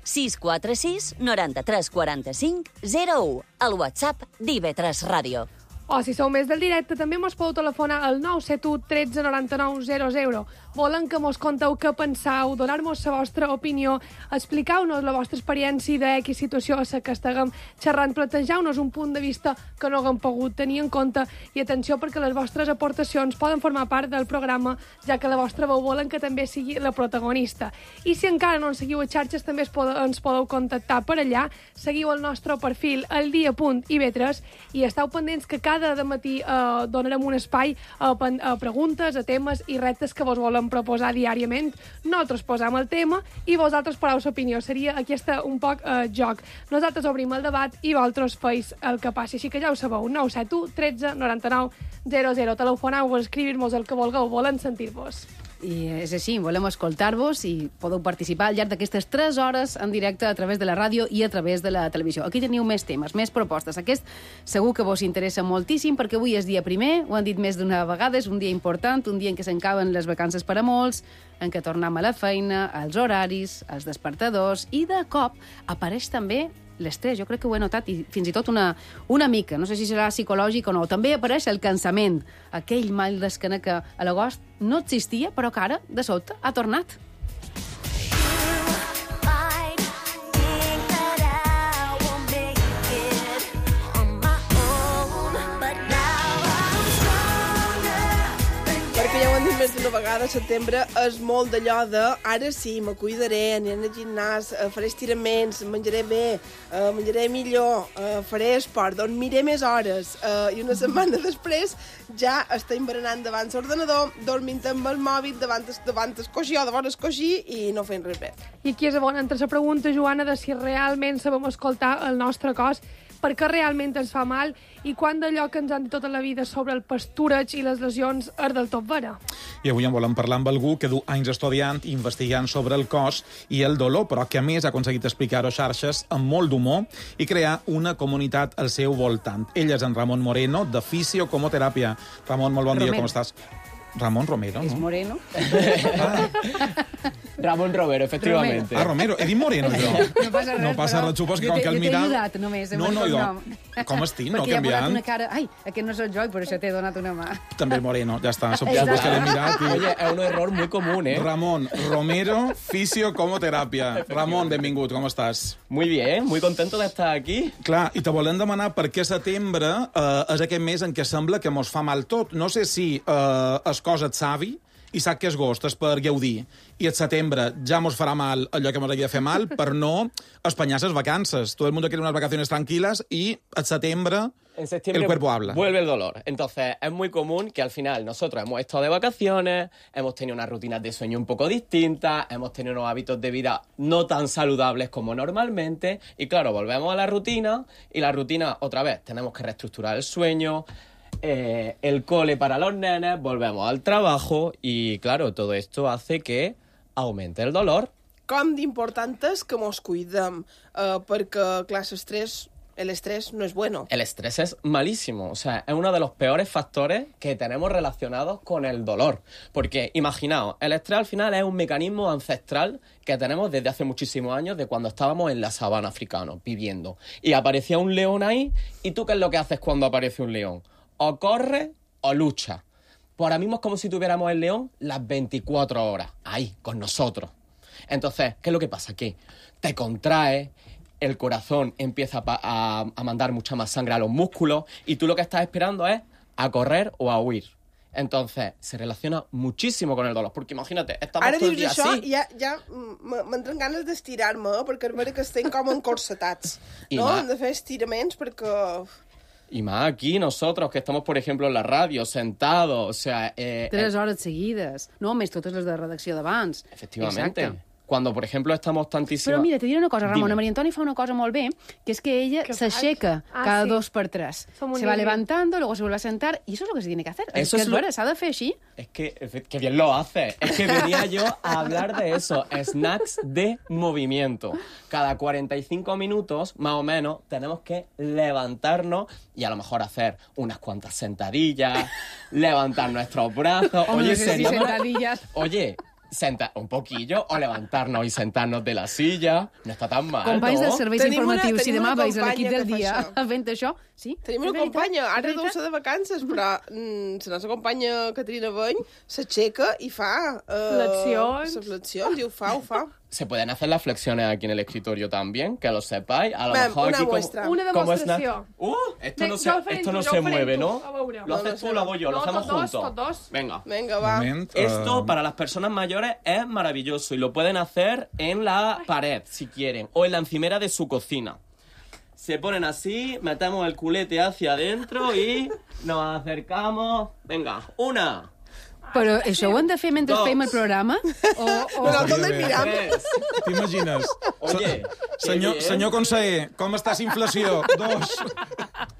sis quatre sis, noranta-tres, quaranta-cinc, zero u, el WhatsApp d'I ve tres Ràdio. O si sou més del directe, també mos podeu telefonar al nou set u tretze noranta-nou zero zero. Volen que mos conteu què penseu, donar-nos la vostra opinió, explicar-nos la vostra experiència de X situació a la que estiguem xerrant, plantejar-nos un punt de vista que no haguem pogut tenir en compte i atenció perquè les vostres aportacions poden formar part del programa, ja que la vostra veu volen que també sigui la protagonista. I si encara no ens seguiu a xarxes, també es podeu, ens podeu contactar per allà, seguiu el nostre perfil al dia punt i ve tres i esteu pendents que cada matí eh, donarem un espai a, a preguntes, a temes i reptes que vos volen proposar diàriament. Nosaltres posam el tema i vosaltres pareu l'opinió. Seria aquest un poc eh, joc. Nosaltres obrim el debat i vosaltres feis el que passi. Així que ja ho sabeu, nou set u tretze noranta-nou zero zero. Telefoneu-vos, escrivir-vos el que vulgueu, volen sentir-vos. I és així, volem escoltar-vos i podeu participar al llarg d'aquestes tres hores en directe a través de la ràdio i a través de la televisió. Aquí teniu més temes, més propostes. Aquest segur que vos interessa moltíssim perquè avui és dia primer, ho han dit més d'una vegada, és un dia important, un dia en què s'encaben les vacances per a molts, en què tornem a la feina, als horaris, als despertadors, i de cop apareix també l'estrès. Jo crec que ho he notat, i fins i tot una, una mica, no sé si serà psicològic o no. També apareix el cansament, aquell mal d'esquena que a l'agost no existia, però que ara, de sobte, ha tornat. Ja ho han dit més d'una vegada, setembre és molt d'allò de ara sí, me cuidaré, aniré al gimnàs, eh, faré estiraments, menjaré bé, eh, menjaré millor, eh, faré esport, dormiré més hores, eh, i una setmana després ja estem berenant davant l'ordenador, dormint amb el mòbil, davant el, davant el coixí o davant el coixí i no fent res bé. I aquí és on entra la pregunta, Joana, de si realment sabem escoltar el nostre cos, per què realment ens fa mal i quan d'allò que ens han dit tota la vida sobre el pastureig i les lesions és del tot vera. I avui en volem parlar amb algú que du anys estudiant i investigant sobre el cos i el dolor, però que a més ha aconseguit explicar-ho a xarxes amb molt d'humor i crear una comunitat al seu voltant. Ell és en Ramon Moreno, de Fisiocomoteràpia. Ramon, molt bon Romero. dia, com estàs? Ramon Romero, És no? Moreno. Ramon Romero, efectivamente. Ah, Romero, he dit Moreno, jo. No passa res, No passa però res, supos que jo com t'he- que el jo t'he mirar... ajudat només, amb No, el no, cognom. jo... Com estic, no Perquè ja ha posat canviant? una cara... Ai, aquest no soc jo i per això t'he donat una mà. També Moreno, ja està. Suposo Exacte. que l'he mirat i... Oye, es un error muy común, ¿eh? Ramon Romero, Fisiocomoteràpia. Ramon, benvingut, com estàs? Muy bien, muy contento de estar aquí. Clar, i te volem demanar per què setembre eh, és aquest mes en què sembla que mos fa mal tot. No sé si eh, es cosa et savi i sap que és agost, és per gaudir, i el setembre ja mos farà mal allò que mos hagi de fer mal per no espanyar les vacances. Todo el mundo quiere unas vacaciones tranquilas y el setembre En septiembre el cuerpo habla. vuelve el dolor. Entonces, es muy común que al final nosotros hemos estado de vacaciones, hemos tenido unas rutinas de sueño un poco distintas, hemos tenido unos hábitos de vida no tan saludables como normalmente, y claro, volvemos a la rutina, y la rutina, otra vez, tenemos que reestructurar el sueño, eh, el cole para los nenes, volvemos al trabajo, y claro, todo esto hace que aumente el dolor. Com d'important és que mos cuidem, eh, perquè, clar, l'estrès el estrés no es bueno. El estrés es malísimo, o sea, es uno de los peores factores que tenemos relacionados con el dolor. Porque, imaginaos, el estrés al final es un mecanismo ancestral que tenemos desde hace muchísimos años, de cuando estábamos en la sabana africana, viviendo. Y aparecía un león ahí, ¿y tú qué es lo que haces cuando aparece un león? O corre o lucha. Pues ahora mismo es como si tuviéramos el león las veinticuatro horas, ahí, con nosotros. Entonces, ¿qué es lo que pasa? Que te contraes, el corazón empieza a, a, a mandar mucha más sangre a los músculos y tú lo que estás esperando es a correr o a huir. Entonces, se relaciona muchísimo con el dolor, porque imagínate, estamos Ara todo el dius día això así. i ja, ja m- m'entren ganes d'estirar-me, eh? perquè és vera que estem com encorsetats. I No? ma- Hem de fer estiraments perquè... Y más aquí nosotros, que estamos, por ejemplo, en la radio, sentados, o sea... Eh, Tres eh, hores seguides. No, més totes les de redacció d'abans. efectivamente. Exacte. Cuando, por ejemplo, estamos tantísimo... Però mira, te diré una cosa, Ramon, Dime. la Maria Antònia fa una cosa molt bé, que és que ella ¿Qué s'aixeca faig? Ah, cada sí. dos per tres. Som un Se va híbrido. levantando, luego se vuelve a sentar, y eso es lo que se tiene que hacer. Eso es que es es lo- vera, s'ha de fer així. Es que, efe- que bien lo hace. Es que venía yo a hablar de eso. Snacks de movimiento. Cada cuarenta y cinco minutos, más o menos, tenemos que levantarnos y a lo mejor hacer unas cuantas sentadillas, levantar nuestros brazos. Hombre, Oye, sí, sería... sentadillas. Oye, sentar un poquillo o levantarnos y sentarnos de la silla. No está tan mal, Companys no? dels serveis Tenim una- informatius, si tenim demà una veus a l'equip companya del que fa dia això. fent això, sí? Tenim una És veritat? companya, ara És deu veritat? ser de vacances, però mm, la nostra companya Caterina Beny s'aixeca i fa... Eh, Flexions. les flexions, i ho fa, ho fa. Se pueden hacer las flexiones aquí en el escritorio también, que lo sepáis. A lo Ven, mejor una aquí como- muestra. Una como es demostració. na- Uh, esto Ve, no se, jo el faré esto no tu, jo se el faré mueve, tu. ¿no? A veure. Lo No, haces no tú, sé. lo hago yo, lo No, hacemos tots dos, juntos. tots dos. Venga. Vinga, va. Moment, Esto eh, para las personas mayores es maravilloso y lo pueden hacer en la pared, si quieren, o en la encimera de su cocina. Se ponen así, metemos el culete hacia adentro y nos acercamos. Venga, una, Però això ho hem de fer mentre Dos. fem el programa? O, o... Nosaltres Estaria el bé. miram. tres. T'imagines? Oye, Se- senyor, qué bien. senyor conseller, com està la inflació? Dos,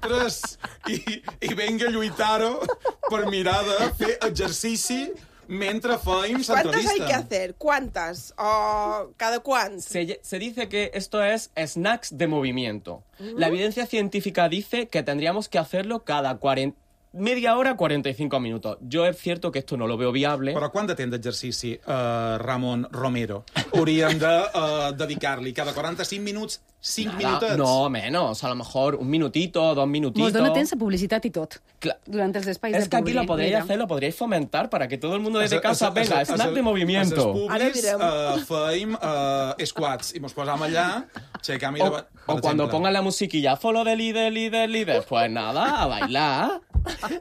tres, i, i venga a lluitar-ho per mirar de fer exercici mentre feim ¿Cuántas hay que l'entrevista. hacer? ¿Cuántas? ¿O cada cuánto? Se, se dice que esto es snacks de movimiento. La evidencia científica dice que tendríamos que hacerlo cada cuarenta, media hora, cuarenta y cinco minutos. Yo es cierto que esto no lo veo viable. Però quant de temps d'exercici, uh, Ramon Romero, hauríem de uh, dedicar-li? Cada quaranta-cinc minuts, cinc Nada, minutets? no, menos. A lo mejor un minutito, dos minutitos. Mos dona temps a publicitat i tot, Cla- durant els espais Es de que aquí publi. lo podríais Mira. hacer, lo podríais fomentar para que todo el mundo desde A- a- casa a- venga, a- snack a- de A movimiento. les Ara pubis direm. uh, feim uh, squats i mos posam allà, aixecam i O, davant, o per cuando exemple. pongan la musiquilla, follow de líder, líder, líder, pues nada, a bailar.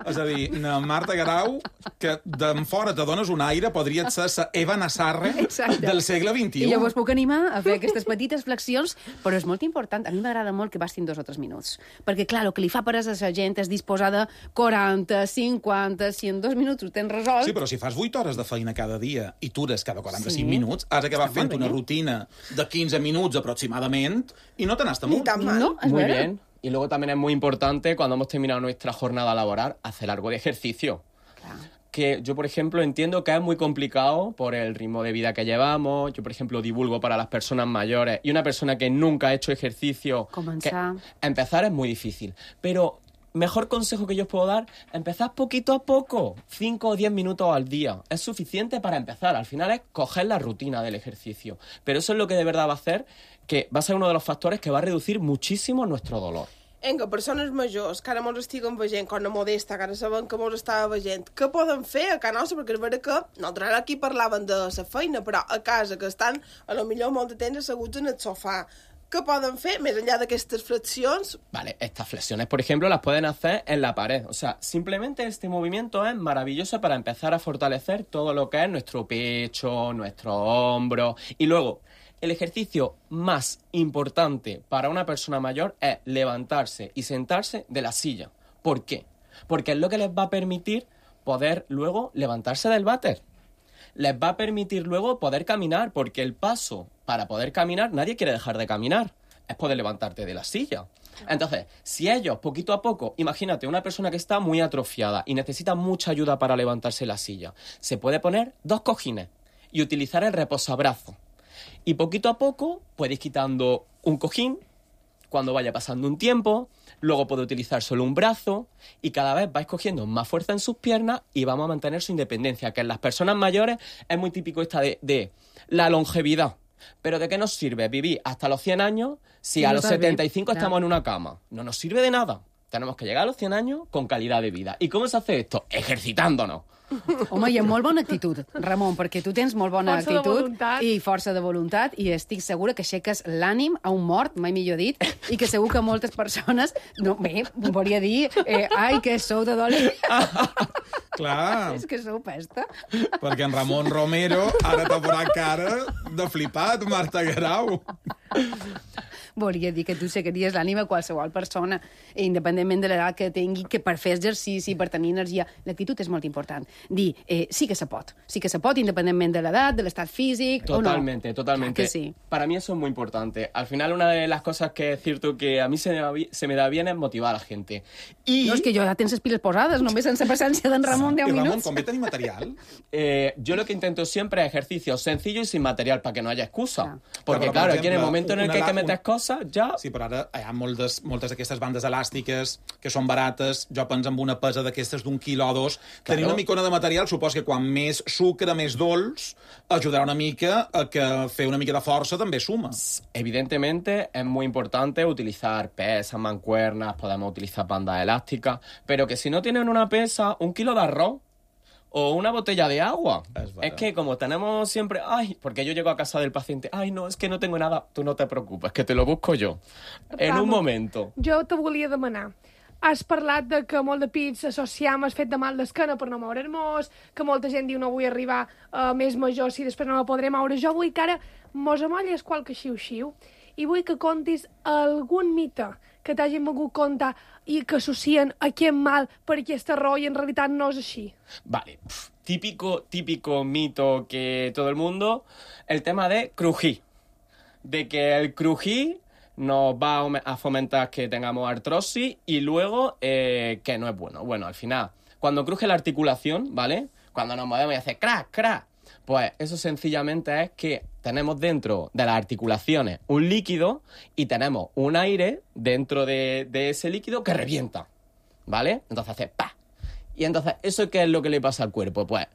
És a dir, na Marta Garau, que d'en fora te dones un aire, podria ser la Eva Nassarre Exacte. del segle vint-i-u. I llavors puc animar a fer aquestes petites flexions, però és molt important. A mi m'agrada molt que bastin dos o tres minuts. Perquè, clar, el que li fa per a la gent és disposar de quaranta, cinquanta, si en dos minuts ho tens resolt... Sí, però si fas vuit hores de feina cada dia i tures cada quaranta-cinc Sí. minuts, has acabat Està fent molt bé. una rutina de quinze minuts aproximadament i no te n'has Ni amunt. tan mal. No, és Muy vera. bien. Y luego también es muy importante, cuando hemos terminado nuestra jornada laboral, hacer algo de ejercicio. Clar. Que yo, por ejemplo, entiendo que es muy complicado por el ritmo de vida que llevamos. Yo, por ejemplo, divulgo para las personas mayores y una persona que nunca ha hecho ejercicio... Comenzar. que empezar es muy difícil. Pero mejor consejo que yo os puedo dar, empezad poquito a poco, cinco o diez minutos al día. Es suficiente para empezar. Al final es coger la rutina del ejercicio. Pero eso es lo que de verdad va a hacer, que va a ser uno de los factores que va a reducir muchísimo nuestro dolor. Vinga, persones majors que ara mos estiguen veient, com a Modesta, que ara sabem que mos estava veient, què poden fer a casa nostra? Perquè és vera que nosaltres ara aquí parlaven de la feina, però a casa, que estan a lo millor molt de temps asseguts en el sofà, què poden fer més enllà d'aquestes flexions? Vale, estas flexiones, por ejemplo, las pueden hacer en la pared. O sea, simplemente este movimiento es maravilloso para empezar a fortalecer todo lo que es nuestro pecho, nuestro hombro. Y luego, el ejercicio más importante para una persona mayor es levantarse y sentarse de la silla. ¿Por qué? Porque es lo que les va a permitir poder luego levantarse del váter. Les va a permitir luego poder caminar, porque el paso para poder caminar, nadie quiere dejar de caminar, es poder levantarte de la silla. Entonces, si ellos, poquito a poco, imagínate, una persona que está muy atrofiada y necesita mucha ayuda para levantarse de la silla, se puede poner dos cojines y utilizar el reposabrazo. Y poquito a poco puedes ir quitando un cojín cuando vaya pasando un tiempo, luego puede utilizar solo un brazo y cada vez vais cogiendo más fuerza en sus piernas y vamos a mantener su independencia, que en las personas mayores es muy típico esta de, de la longevidad. Pero ¿de qué nos sirve vivir hasta los cien años si Sí, a no los está bien, setenta y cinco claro. estamos en una cama? No nos sirve de nada. Tenemos que llegar a los cien años con calidad de vida. ¿Y cómo se hace esto? Ejercitándonos. Home, hi ha molt bona actitud, Ramon, perquè tu tens molt bona Força de actitud voluntat. i força de voluntat i estic segura que aixeques l'ànim a un mort, mai millor dit, i que segur que moltes persones, no, bé, volia dir, eh, ai, que sou de dolent. Clar, És que sou pesta. perquè en Ramon Romero ara t'ha posat cara de flipat, Marta Garau. Volia dir que tu seguiries l'ànima a qualsevol persona, independentment de l'edat que tingui, que per fer exercici, per tenir energia, l'actitud és molt important. Dir, eh, sí que se pot, sí que se pot, independentment de l'edat, de l'estat físic, Totalmente, o no. totalmente. Clar que sí. Para mí eso es muy importante. Al final, una de las cosas que es cierto que a mí se me, va bi- se me da bien es motivar a la gente. Y No, és que jo ja tens les piles posades, només sense presència d'en Ramon deu I Ramon, minuts. com ve tenir material? eh, yo lo que intento siempre es ejercicios sencillos y sin material para que no haya excusa. Claro. Porque Pero, por claro, aquí en el ejemplo, momento en el una que hay que la- meter un- cosas ya... Sí, però ara hi ha moltes, moltes d'aquestes bandes elàstiques que són barates. Jo penso en una pesa d'aquestes d'un quilo o dos. Claro. Tenir una micona de material supos que quan més sucre, més dolç, ajudarà una mica a que fer una mica de força també suma. Evidentemente es muy importante utilizar pesas, mancuernas, podemos utilizar bandas elásticas, pero que si no tienen una pesa, un kilo de arroz o una botella de agua. Es, es que como tenemos siempre... Ay, porque yo llego a casa del paciente, ay, no, es que no tengo nada. Tú no te preocupes, que te lo busco yo. En Vamos, un momento. Jo te volia demanar. Has parlat de que molt de pits associam el fet de mal d'esquena per no moure'ns, que molta gent diu no vull arribar a més major si després no la podré moure. Jo vull que ara mos amolles qualque xiu-xiu i vull que contis algun mite que t'hagin volgut contar i que associen aquest mal per aquesta raó i en realitat no és així. Vale, Pff, típico, típico mito que todo el mundo, el tema de crujir. De que el crujir nos va a fomentar que tengamos artrosis y luego eh, que no es bueno. Bueno, al final, cuando cruje la articulación, ¿vale? Cuando nos movemos y hace crack, crack, pues eso sencillamente es que tenemos dentro de las articulaciones un líquido y tenemos un aire dentro de, de ese líquido que revienta, ¿vale? Entonces hace ¡pa! Y entonces, ¿eso qué es lo que le pasa al cuerpo? Pues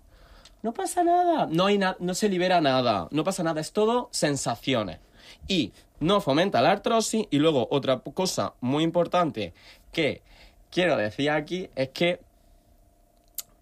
no pasa nada, no, hay na- no se libera nada, no pasa nada, es todo sensaciones. Y no fomenta la artrosis. Y luego otra cosa muy importante que quiero decir aquí es que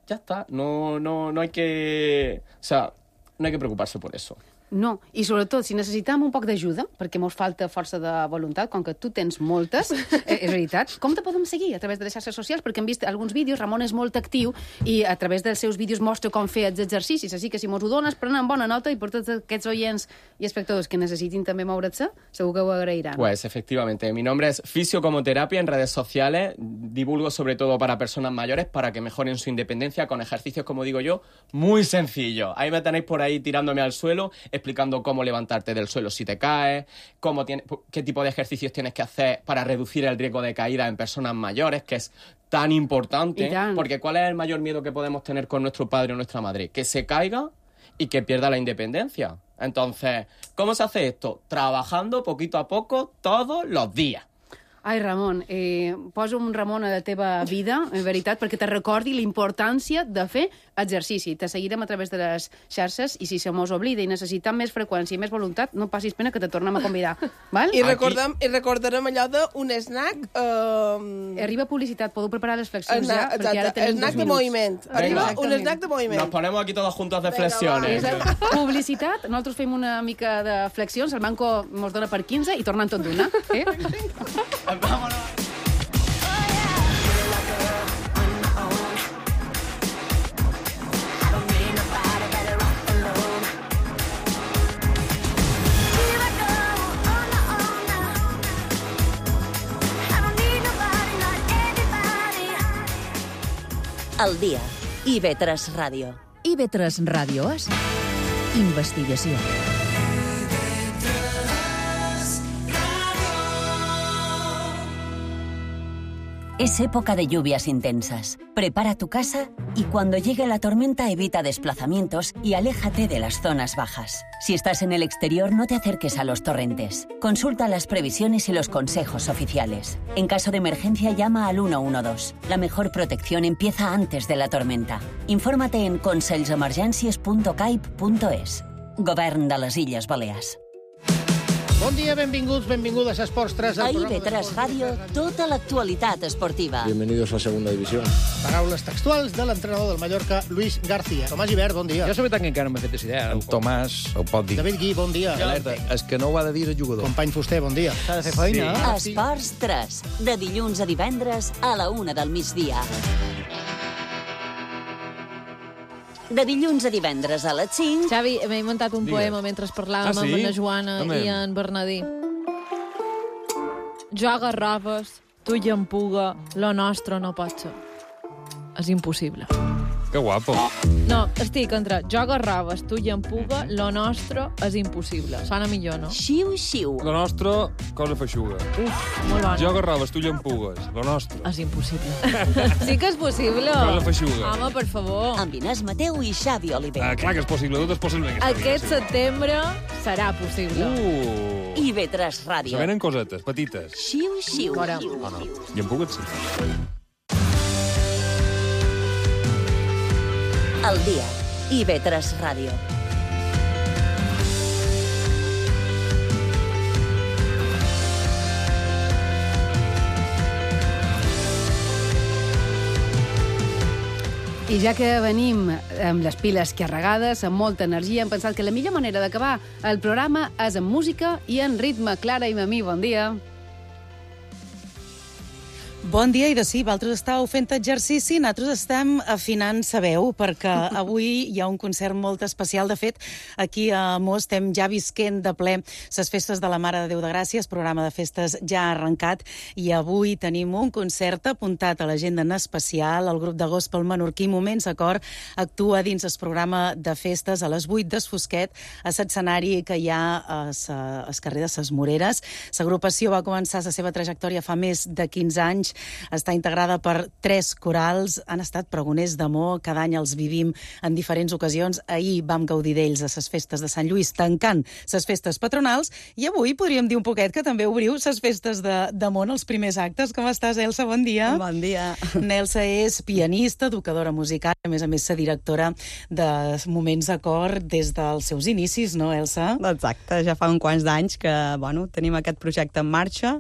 ya está, no, no, no hay que... O sea, no hay que preocuparse por eso. No, i sobretot, si necessitem un poc d'ajuda, perquè mos falta força de voluntat, com que tu tens moltes, eh, és veritat, com te podem seguir? A través de les xarxes socials, perquè hem vist alguns vídeos, Ramon és molt actiu, i a través dels seus vídeos mostra com fer els exercicis, així que si mos ho dones, prenen bona nota, i per tots aquests oients i espectadors que necessitin també moure's, segur que ho agrairan. Pues efectivamente, mi nombre es Fisio como Terapia en redes sociales, divulgo sobre todo para personas mayores, para que mejoren su independencia con ejercicios, como digo yo, muy sencillos. Ahí me tenéis por ahí tirándome al suelo, explicando cómo levantarte del suelo si te caes, cómo tiene, qué tipo de ejercicios tienes que hacer para reducir el riesgo de caída en personas mayores, que es tan importante, porque ¿cuál es el mayor miedo que podemos tener con nuestro padre o nuestra madre? Que se caiga y que pierda la independencia. Entonces, ¿cómo se hace esto? Trabajando poquito a poco todos los días. Ai, Ramon, eh, posa un Ramon a la teva vida, en veritat, perquè te recordi la importància de fer exercici. Te seguirem a través de les xarxes i si se mos oblida i necessitem més freqüència i més voluntat, no passis pena que te tornem a convidar. Val? I, recordem, i recordarem allò d'un snack... Eh... Arriba publicitat, podeu preparar les flexions Esna, ja, perquè ara tenim snack dos de minuts. moviment. Arriba un snack de moviment. Nos ponemos aquí todos juntos de flexiones. Publicitat, nosaltres fem una mica de flexions, el banco mos dona per quinze i tornem tot d'una. Eh? Vámonos. El dia. I ve tres Ràdio. I ve tres Ràdio és investigació. Es época de lluvias intensas. Prepara tu casa y cuando llegue la tormenta evita desplazamientos y aléjate de las zonas bajas. Si estás en el exterior, no te acerques a los torrentes. Consulta las previsiones y los consejos oficiales. En caso de emergencia, llama al uno uno dos. La mejor protección empieza antes de la tormenta. Infórmate en consells-emergències punt caip punt es. Govern de les Illes Balears. Bon dia, benvinguts, benvingudes a Esports tres. A I V tres Ràdio, tota l'actualitat esportiva. Bienvenidos a Segunda División. Paraules textuals de l'entrenador del Mallorca, Luis García. Tomàs Gibert, bon dia. Jo la veritat que encara no m'he fet idea. El Tomàs ho pot dir. David Gui, bon dia. Alerta, és que no ho ha de dir el jugador. Company Fuster, bon dia. S'ha de fer feina. Sí. Esports tres, de dilluns a divendres a la una del migdia. De dilluns a divendres a les cinc... Xavi, m'he muntat un Digues. poema mentre parlàvem Ah, sí? amb la Joana Home. i en Bernadí. Jo a Garrafes, tu i en Puga, lo nostre no pot ser. És impossible. Que guapo. No, estic entre jo a Garrafes, tu i en Puga, lo nostre és impossible. Sona millor, no? Xiu, xiu. Lo nostre, cosa feixuga. Uf, molt bona. Jo garraves, tu llampugues. Lo nostre. És impossible. Sí que és possible. Cosa feixuga. Home, per favor. Amb Inés Mateu i Xavi Oliver. Ah, clar que és possible, tot és possible en aquesta Aquest vida, sí. setembre serà possible. Uh. I V tres Ràdio. Se venen cosetes, petites. Xiu, xiu. Fora. Ah, no. I en Pugues sí. El dia. I V tres Ràdio. I ja que venim amb les piles carregades, amb molta energia, hem pensat que la millor manera d'acabar el programa és amb música i en ritme. Clara i Mamí, bon dia. Bon dia, i de sí, vosaltres estàu fent exercici, nosaltres estem afinant sa veu, perquè avui hi ha un concert molt especial. De fet, aquí a Mos estem ja visquent de ple les festes de la Mare de Déu de Gràcia, el programa de festes ja ha arrencat, i avui tenim un concert apuntat a l'agenda en especial. El grup de gospel menorquí Moments Acord actua dins el programa de festes a les vuit des Fosquet, a l'escenari que hi ha al carrer de ses Moreres. L'agrupació va començar la seva trajectòria fa més de quinze anys, està integrada per tres corals, han estat pregoners d'amor, cada any els vivim en diferents ocasions. Ahir vam gaudir d'ells a les festes de Sant Lluís, tancant les festes patronals, i avui podríem dir un poquet que també obriu les festes d'amor en els primers actes. Com estàs, Elsa? Bon dia. Bon dia. Nelsa és pianista, educadora musical, a més a més, la directora de Moments Acord des dels seus inicis, no, Elsa? Exacte, ja fa uns quants d'anys que, bueno, tenim aquest projecte en marxa,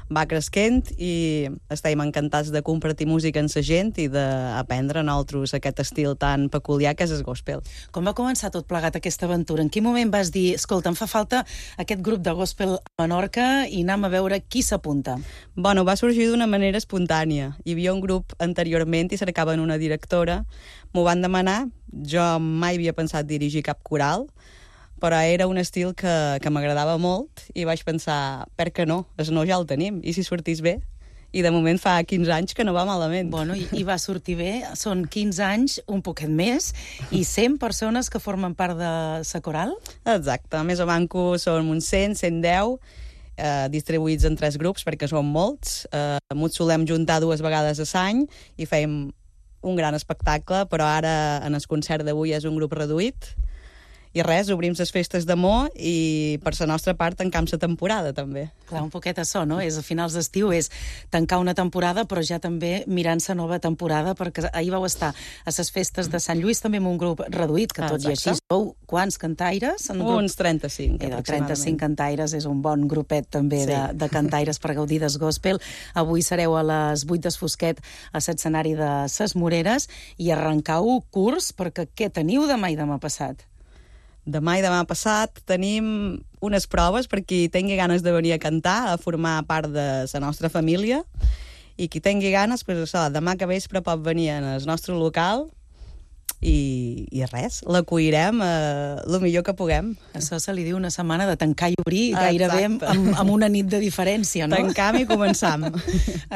va cresquent i estem encantats de compartir música amb la gent i d'aprendre nosaltres aquest estil tan peculiar que és el gospel. Com va començar tot plegat aquesta aventura? En quin moment vas dir, escolta, em fa falta aquest grup de gospel a Menorca i anem a veure qui s'apunta? Bueno, va sorgir d'una manera espontània. Hi havia un grup anteriorment i cercaven una directora. M'ho van demanar, jo mai havia pensat dirigir cap coral, però era un estil que, que m'agradava molt i vaig pensar, per què no? El no ja el tenim, i si sortís bé? I de moment fa quinze anys que no va malament. Bueno, i, i va sortir bé, són quinze anys, un poquet més, i cent persones que formen part de la coral? Exacte, més o manco són uns cent, cent deu, eh, distribuïts en tres grups, perquè són molts. Eh, ens solem juntar dues vegades a l'any i fem un gran espectacle, però ara en el concert d'avui és un grup reduït. I res, obrim les festes d'amor i per la nostra part tancam la temporada, també. Clar, un poquet això, no? És a finals d'estiu, és tancar una temporada, però ja també mirant la nova temporada, perquè ahir vau estar a les festes de Sant Lluís també amb un grup reduït, que tot i així sou quants cantaires? Uns trenta-cinc, eh, trenta-cinc cantaires, és un bon grupet també sí. de, de cantaires per gaudir del gospel. Avui sereu a les vuit des Fosquet a l'escenari de ses Moreres i arrencau curs, perquè què teniu demà i demà passat? Demà i demà passat tenim unes proves per qui tingui ganes de venir a cantar, a formar part de la nostra família, i qui tingui ganes, pues, això, demà que vespre pot venir al nostre local i, i res, l'acollirem eh, el millor que puguem. Això se li diu una setmana de tancar i obrir, gairebé amb, amb una nit de diferència, no? Tancam i començam.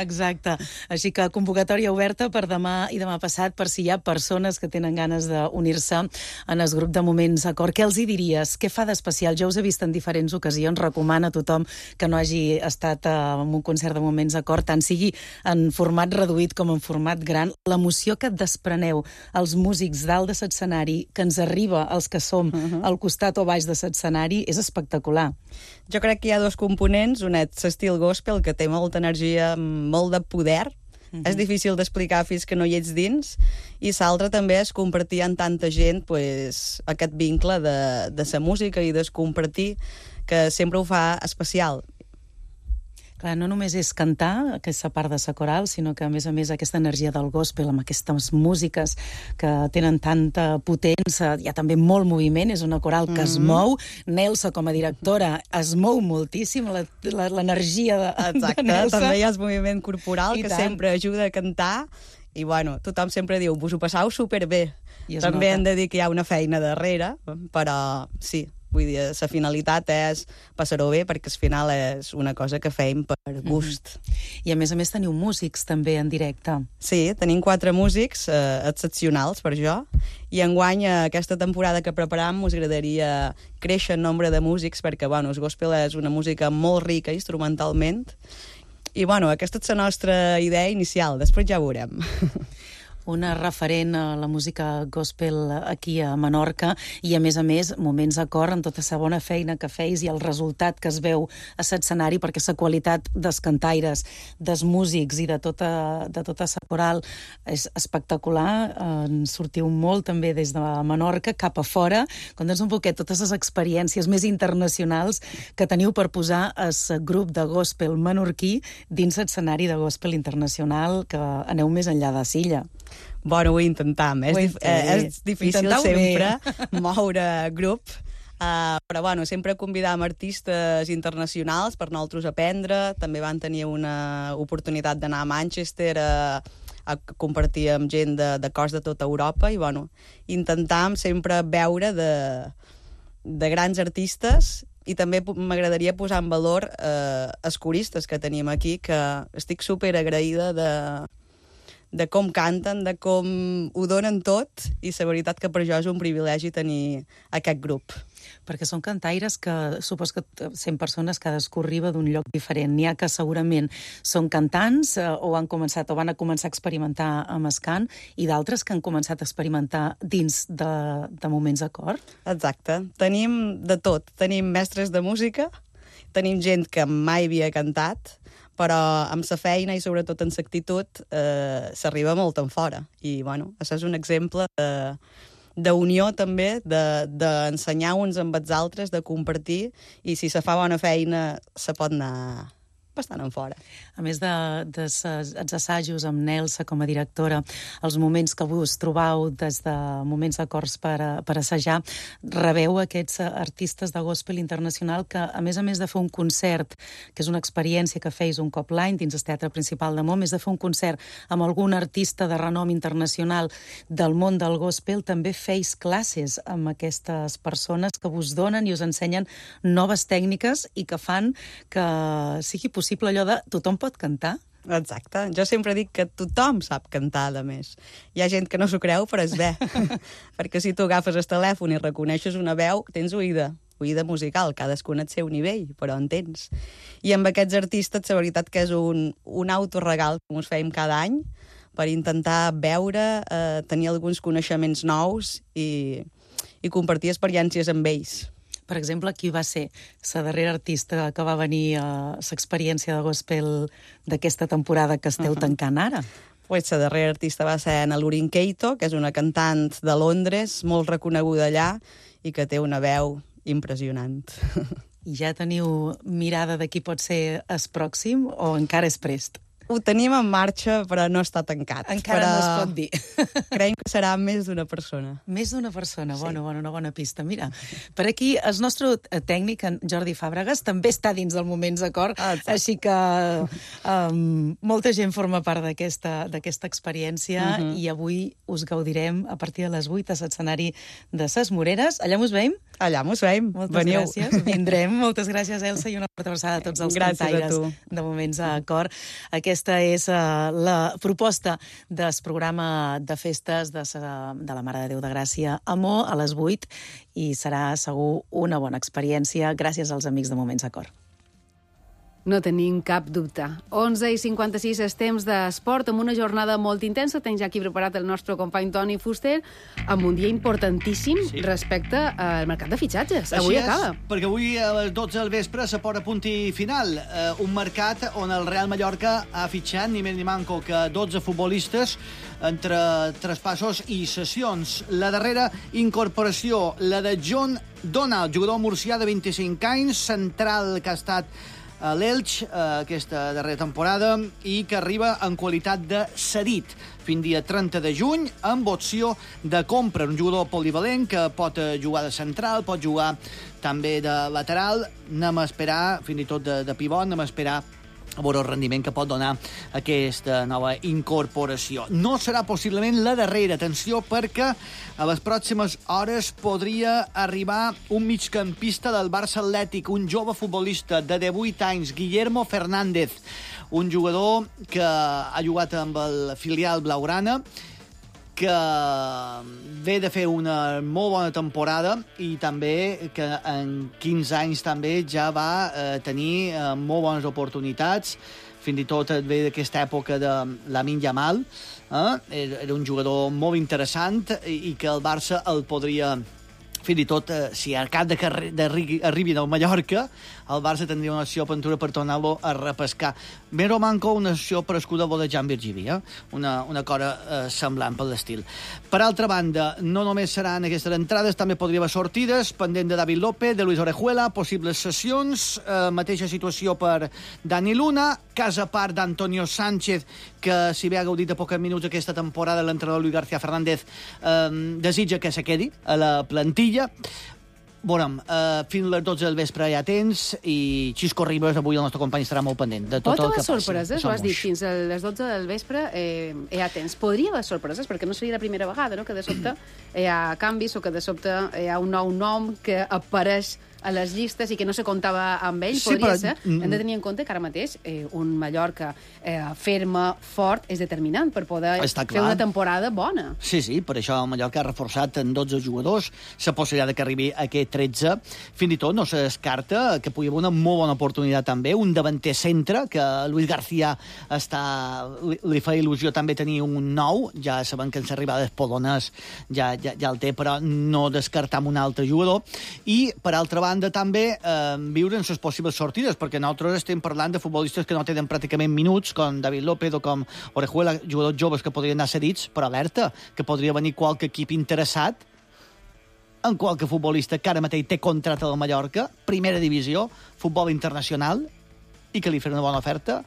Exacte. Així que convocatòria oberta per demà i demà passat, per si hi ha persones que tenen ganes d'unir-se en el grup de Moments Acord. Què els hi diries? Què fa d'especial? Jo us he vist en diferents ocasions, recomana a tothom que no hagi estat en un concert de Moments Acord, tant sigui en format reduït com en format gran, l'emoció que et despreneu els músics dalt de l'escenari, que ens arriba als que som uh-huh. al costat o baix de l'escenari, és espectacular. Jo crec que hi ha dos components, un és l'estil gospel, que té molta energia, molt de poder, uh-huh. és difícil d'explicar fins que no hi ets dins, i l'altre també és compartir amb tanta gent pues, aquest vincle de, de la música i de compartir, que sempre ho fa especial. Clar, no només és cantar, aquesta part de la coral, sinó que, a més a més, aquesta energia del gospel, amb aquestes músiques que tenen tanta potència, hi ha també molt moviment, és una coral que mm-hmm. es mou. Nelsa, com a directora, es mou moltíssim, l'energia de, Exacte, de Nelsa. També hi ha el moviment corporal, I que tant. sempre ajuda a cantar, i bueno, tothom sempre diu, vos ho passau superbé. També nota. hem de dir que hi ha una feina darrere, però sí, vull dir, la finalitat és passar-ho bé, perquè al final és una cosa que fem per gust. Mm-hmm. I a més a més teniu músics també en directe. Sí, tenim quatre músics eh, excepcionals per jo, i enguany aquesta temporada que preparam us agradaria créixer en nombre de músics, perquè bueno, el gospel és una música molt rica instrumentalment, i bueno, aquesta és la nostra idea inicial, després ja ho veurem. una referent a la música gospel aquí a Menorca i, a més a més, moments a cor en tota la bona feina que feis i el resultat que es veu a l'escenari, perquè la qualitat dels cantaires, dels músics i de tota, de tota la coral és espectacular. En sortiu molt també des de Menorca cap a fora. Conta'ns un poquet totes les experiències més internacionals que teniu per posar el grup de gospel menorquí dins l'escenari de gospel internacional, que aneu més enllà de Silla. Bueno, ho intentam. És, dif eh, és difícil sempre moure grup, uh, però bueno, sempre convidam artistes internacionals per nosaltres aprendre. També van tenir una oportunitat d'anar a Manchester a, a compartir amb gent de, de cors de tota Europa i bueno, intentam sempre veure de, de grans artistes. I també m'agradaria posar en valor eh, els coristes que tenim aquí, que estic super agraïda de, de com canten, de com ho donen tot, i la veritat que per jo és un privilegi tenir aquest grup. Perquè són cantaires que supos que cent persones cadascú arriba d'un lloc diferent. N'hi ha que segurament són cantants eh, o han començat o van a començar a experimentar amb el cant, i d'altres que han començat a experimentar dins de, de moments de cor. Exacte. Tenim de tot. Tenim mestres de música, tenim gent que mai havia cantat, però amb la feina i sobretot amb l'actitud eh, s'arriba molt en fora. I bueno, això és un exemple de d'unió també, d'ensenyar de, uns amb els altres, de compartir, i si se fa bona feina se pot anar bastant en fora. A més de, de ses, els assajos amb Nelsa com a directora, els moments que vos trobau des de moments d'acords per, per assajar, rebeu aquests artistes de gospel internacional que, a més a més de fer un concert, que és una experiència que feis un cop l'any dins el Teatre Principal de Mom, més de fer un concert amb algun artista de renom internacional del món del gospel, també feis classes amb aquestes persones que vos donen i us ensenyen noves tècniques i que fan que sigui possible allò de tothom pot cantar. Exacte. Jo sempre dic que tothom sap cantar, a més. Hi ha gent que no s'ho creu, però és bé. Perquè si tu agafes el telèfon i reconeixes una veu, tens oïda. Oïda musical, cadascun al seu nivell, però en tens. I amb aquests artistes, la veritat que és un, un autoregal que ens fèiem cada any per intentar veure, eh, tenir alguns coneixements nous i, i compartir experiències amb ells. Per exemple, qui va ser la darrera artista que va venir a l'experiència de gospel d'aquesta temporada que esteu uh-huh. tancant ara? Pues la darrera artista va ser Anna Lurin Keito, que és una cantant de Londres, molt reconeguda allà, i que té una veu impressionant. I ja teniu mirada de qui pot ser el pròxim o encara és prest? Ho tenim en marxa, però no està tancat. Encara però no es pot dir. Creiem que serà més d'una persona. Més d'una persona, sí. bona, bona, una bona pista. Mira, per aquí el nostre tècnic, en Jordi Fàbregas, també està dins del Moments de Cor, ah, així que um, molta gent forma part d'aquesta d'aquesta experiència uh -huh. i avui us gaudirem a partir de les vuit a l'escenari de Ses Moreres. Allà mos veiem? Allà mos veiem. Moltes Veniu. gràcies. Vindrem. Moltes gràcies, Elsa, i una forta abraçada a tots els gràcies cantaires de Moments de Cor. Aquesta és uh, la proposta del programa de festes de, sa, de la Mare de Déu de Gràcia a Mo a les vuit, i serà segur una bona experiència gràcies als amics de Moments de Cor. No tenim cap dubte. onze i cinquanta-sis és temps d'esport, amb una jornada molt intensa. Tens ja aquí preparat el nostre company Toni Fuster, amb un dia importantíssim sí. respecte al mercat de fitxatges. Avui Així acaba. És, perquè avui a les dotze del vespre se posa punt i final. Eh, un mercat on el Real Mallorca ha fitxat ni més ni manco que dotze futbolistes entre traspassos i cessions. La darrera incorporació, la de John Donald, jugador murcià de vint-i-cinc anys, central que ha estat a l'Elx eh, aquesta darrera temporada i que arriba en qualitat de cedit fins dia trenta de juny amb opció de compra. Un jugador polivalent que pot jugar de central, pot jugar també de lateral. Anem a esperar, fins i tot de, de pivot, anem a esperar a veure el rendiment que pot donar aquesta nova incorporació. No serà possiblement la darrera, atenció, perquè a les pròximes hores podria arribar un migcampista del Barça Atlètic, un jove futbolista de divuit anys, Guillermo Fernández, un jugador que ha jugat amb el filial blaugrana, que ve de fer una molt bona temporada i també que en quinze anys també ja va eh, tenir eh, molt bones oportunitats, fins i tot ve d'aquesta època de Lamine Yamal, Eh? Era un jugador molt interessant i, i que el Barça el podria... Fins i tot, eh, si a cap de que arribi del Mallorca, el Barça tindria una opció aventura per tornar-lo a repescar. Mero manco una opció per escuda de Jan Virgivi, eh? una, una cosa eh, semblant per l'estil. Per altra banda, no només seran aquestes entrades, també podria haver sortides, pendent de David López, de Luis Orejuela, possibles sessions, eh, mateixa situació per Dani Luna, cas a part d'Antonio Sánchez, que si bé ha gaudit de pocs minuts aquesta temporada, l'entrenador Luis García Fernández eh, desitja que se quedi a la plantilla. Veurem, uh, fins a les dotze del vespre ja tens i Xisco Ribas, avui el nostre company estarà molt pendent de tot Pot Oh, el que haver passi. sorpreses, ho has dit, fins a les dotze del vespre eh, ja tens. Podria haver sorpreses, perquè no seria la primera vegada, no?, que de sobte hi ha canvis o que de sobte hi ha un nou nom que apareix a les llistes i que no se comptava amb ell. Sí, Podria però- ser. Hem de tenir en compte que ara mateix eh, un Mallorca eh, ferme, fort, és determinant per poder Està fer clar. una temporada bona. Sí, sí, per això el Mallorca ha reforçat en dotze jugadors, la possibilitat que arribi a aquest tretze. Fins i tot no se descarta que pugui haver una molt bona oportunitat també, un davanter centre, que Luis García està, li, li fa il·lusió també tenir un nou, ja sabem que en l'arribada d'Espolonès ja, ja, ja el té, però no descartar un altre jugador. I, per altra banda, també eh, viure en les possibles sortides, perquè nosaltres estem parlant de futbolistes que no tenen pràcticament minuts, com David López o com Orejuela, jugadors joves que podrien anar cedits, però alerta, que podria venir qualque equip interessat en qualque futbolista que ara mateix té contracte del Mallorca, primera divisió, futbol internacional, i que li farà una bona oferta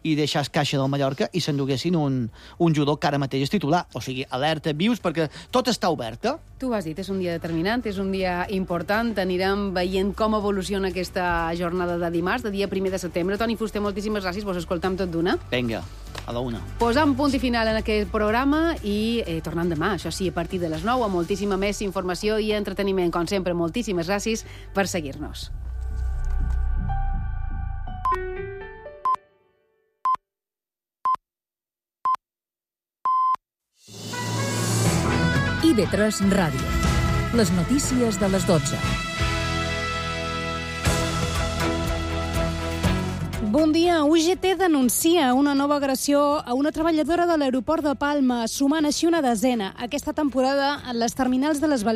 i deixar el caixa del Mallorca i s'enduguessin un, un jugador que ara mateix és titular. O sigui, alerta, vius, perquè tot està obert. Eh? Tu ho has dit, és un dia determinant, és un dia important. Anirem veient com evoluciona aquesta jornada de dimarts, de dia primer de setembre. Toni Fuster, moltíssimes gràcies, vos escoltam tot d'una. Vinga, a la una. Posam punt i final en aquest programa i eh, tornem demà, això sí, a partir de les nou, amb moltíssima més informació i entreteniment. Com sempre, moltíssimes gràcies per seguir-nos. I V tres Ràdio. Les notícies de les dotze. Bon dia. U G T denuncia una nova agressió a una treballadora de l'aeroport de Palma, sumant així una desena. Aquesta temporada, en les terminals de les Balears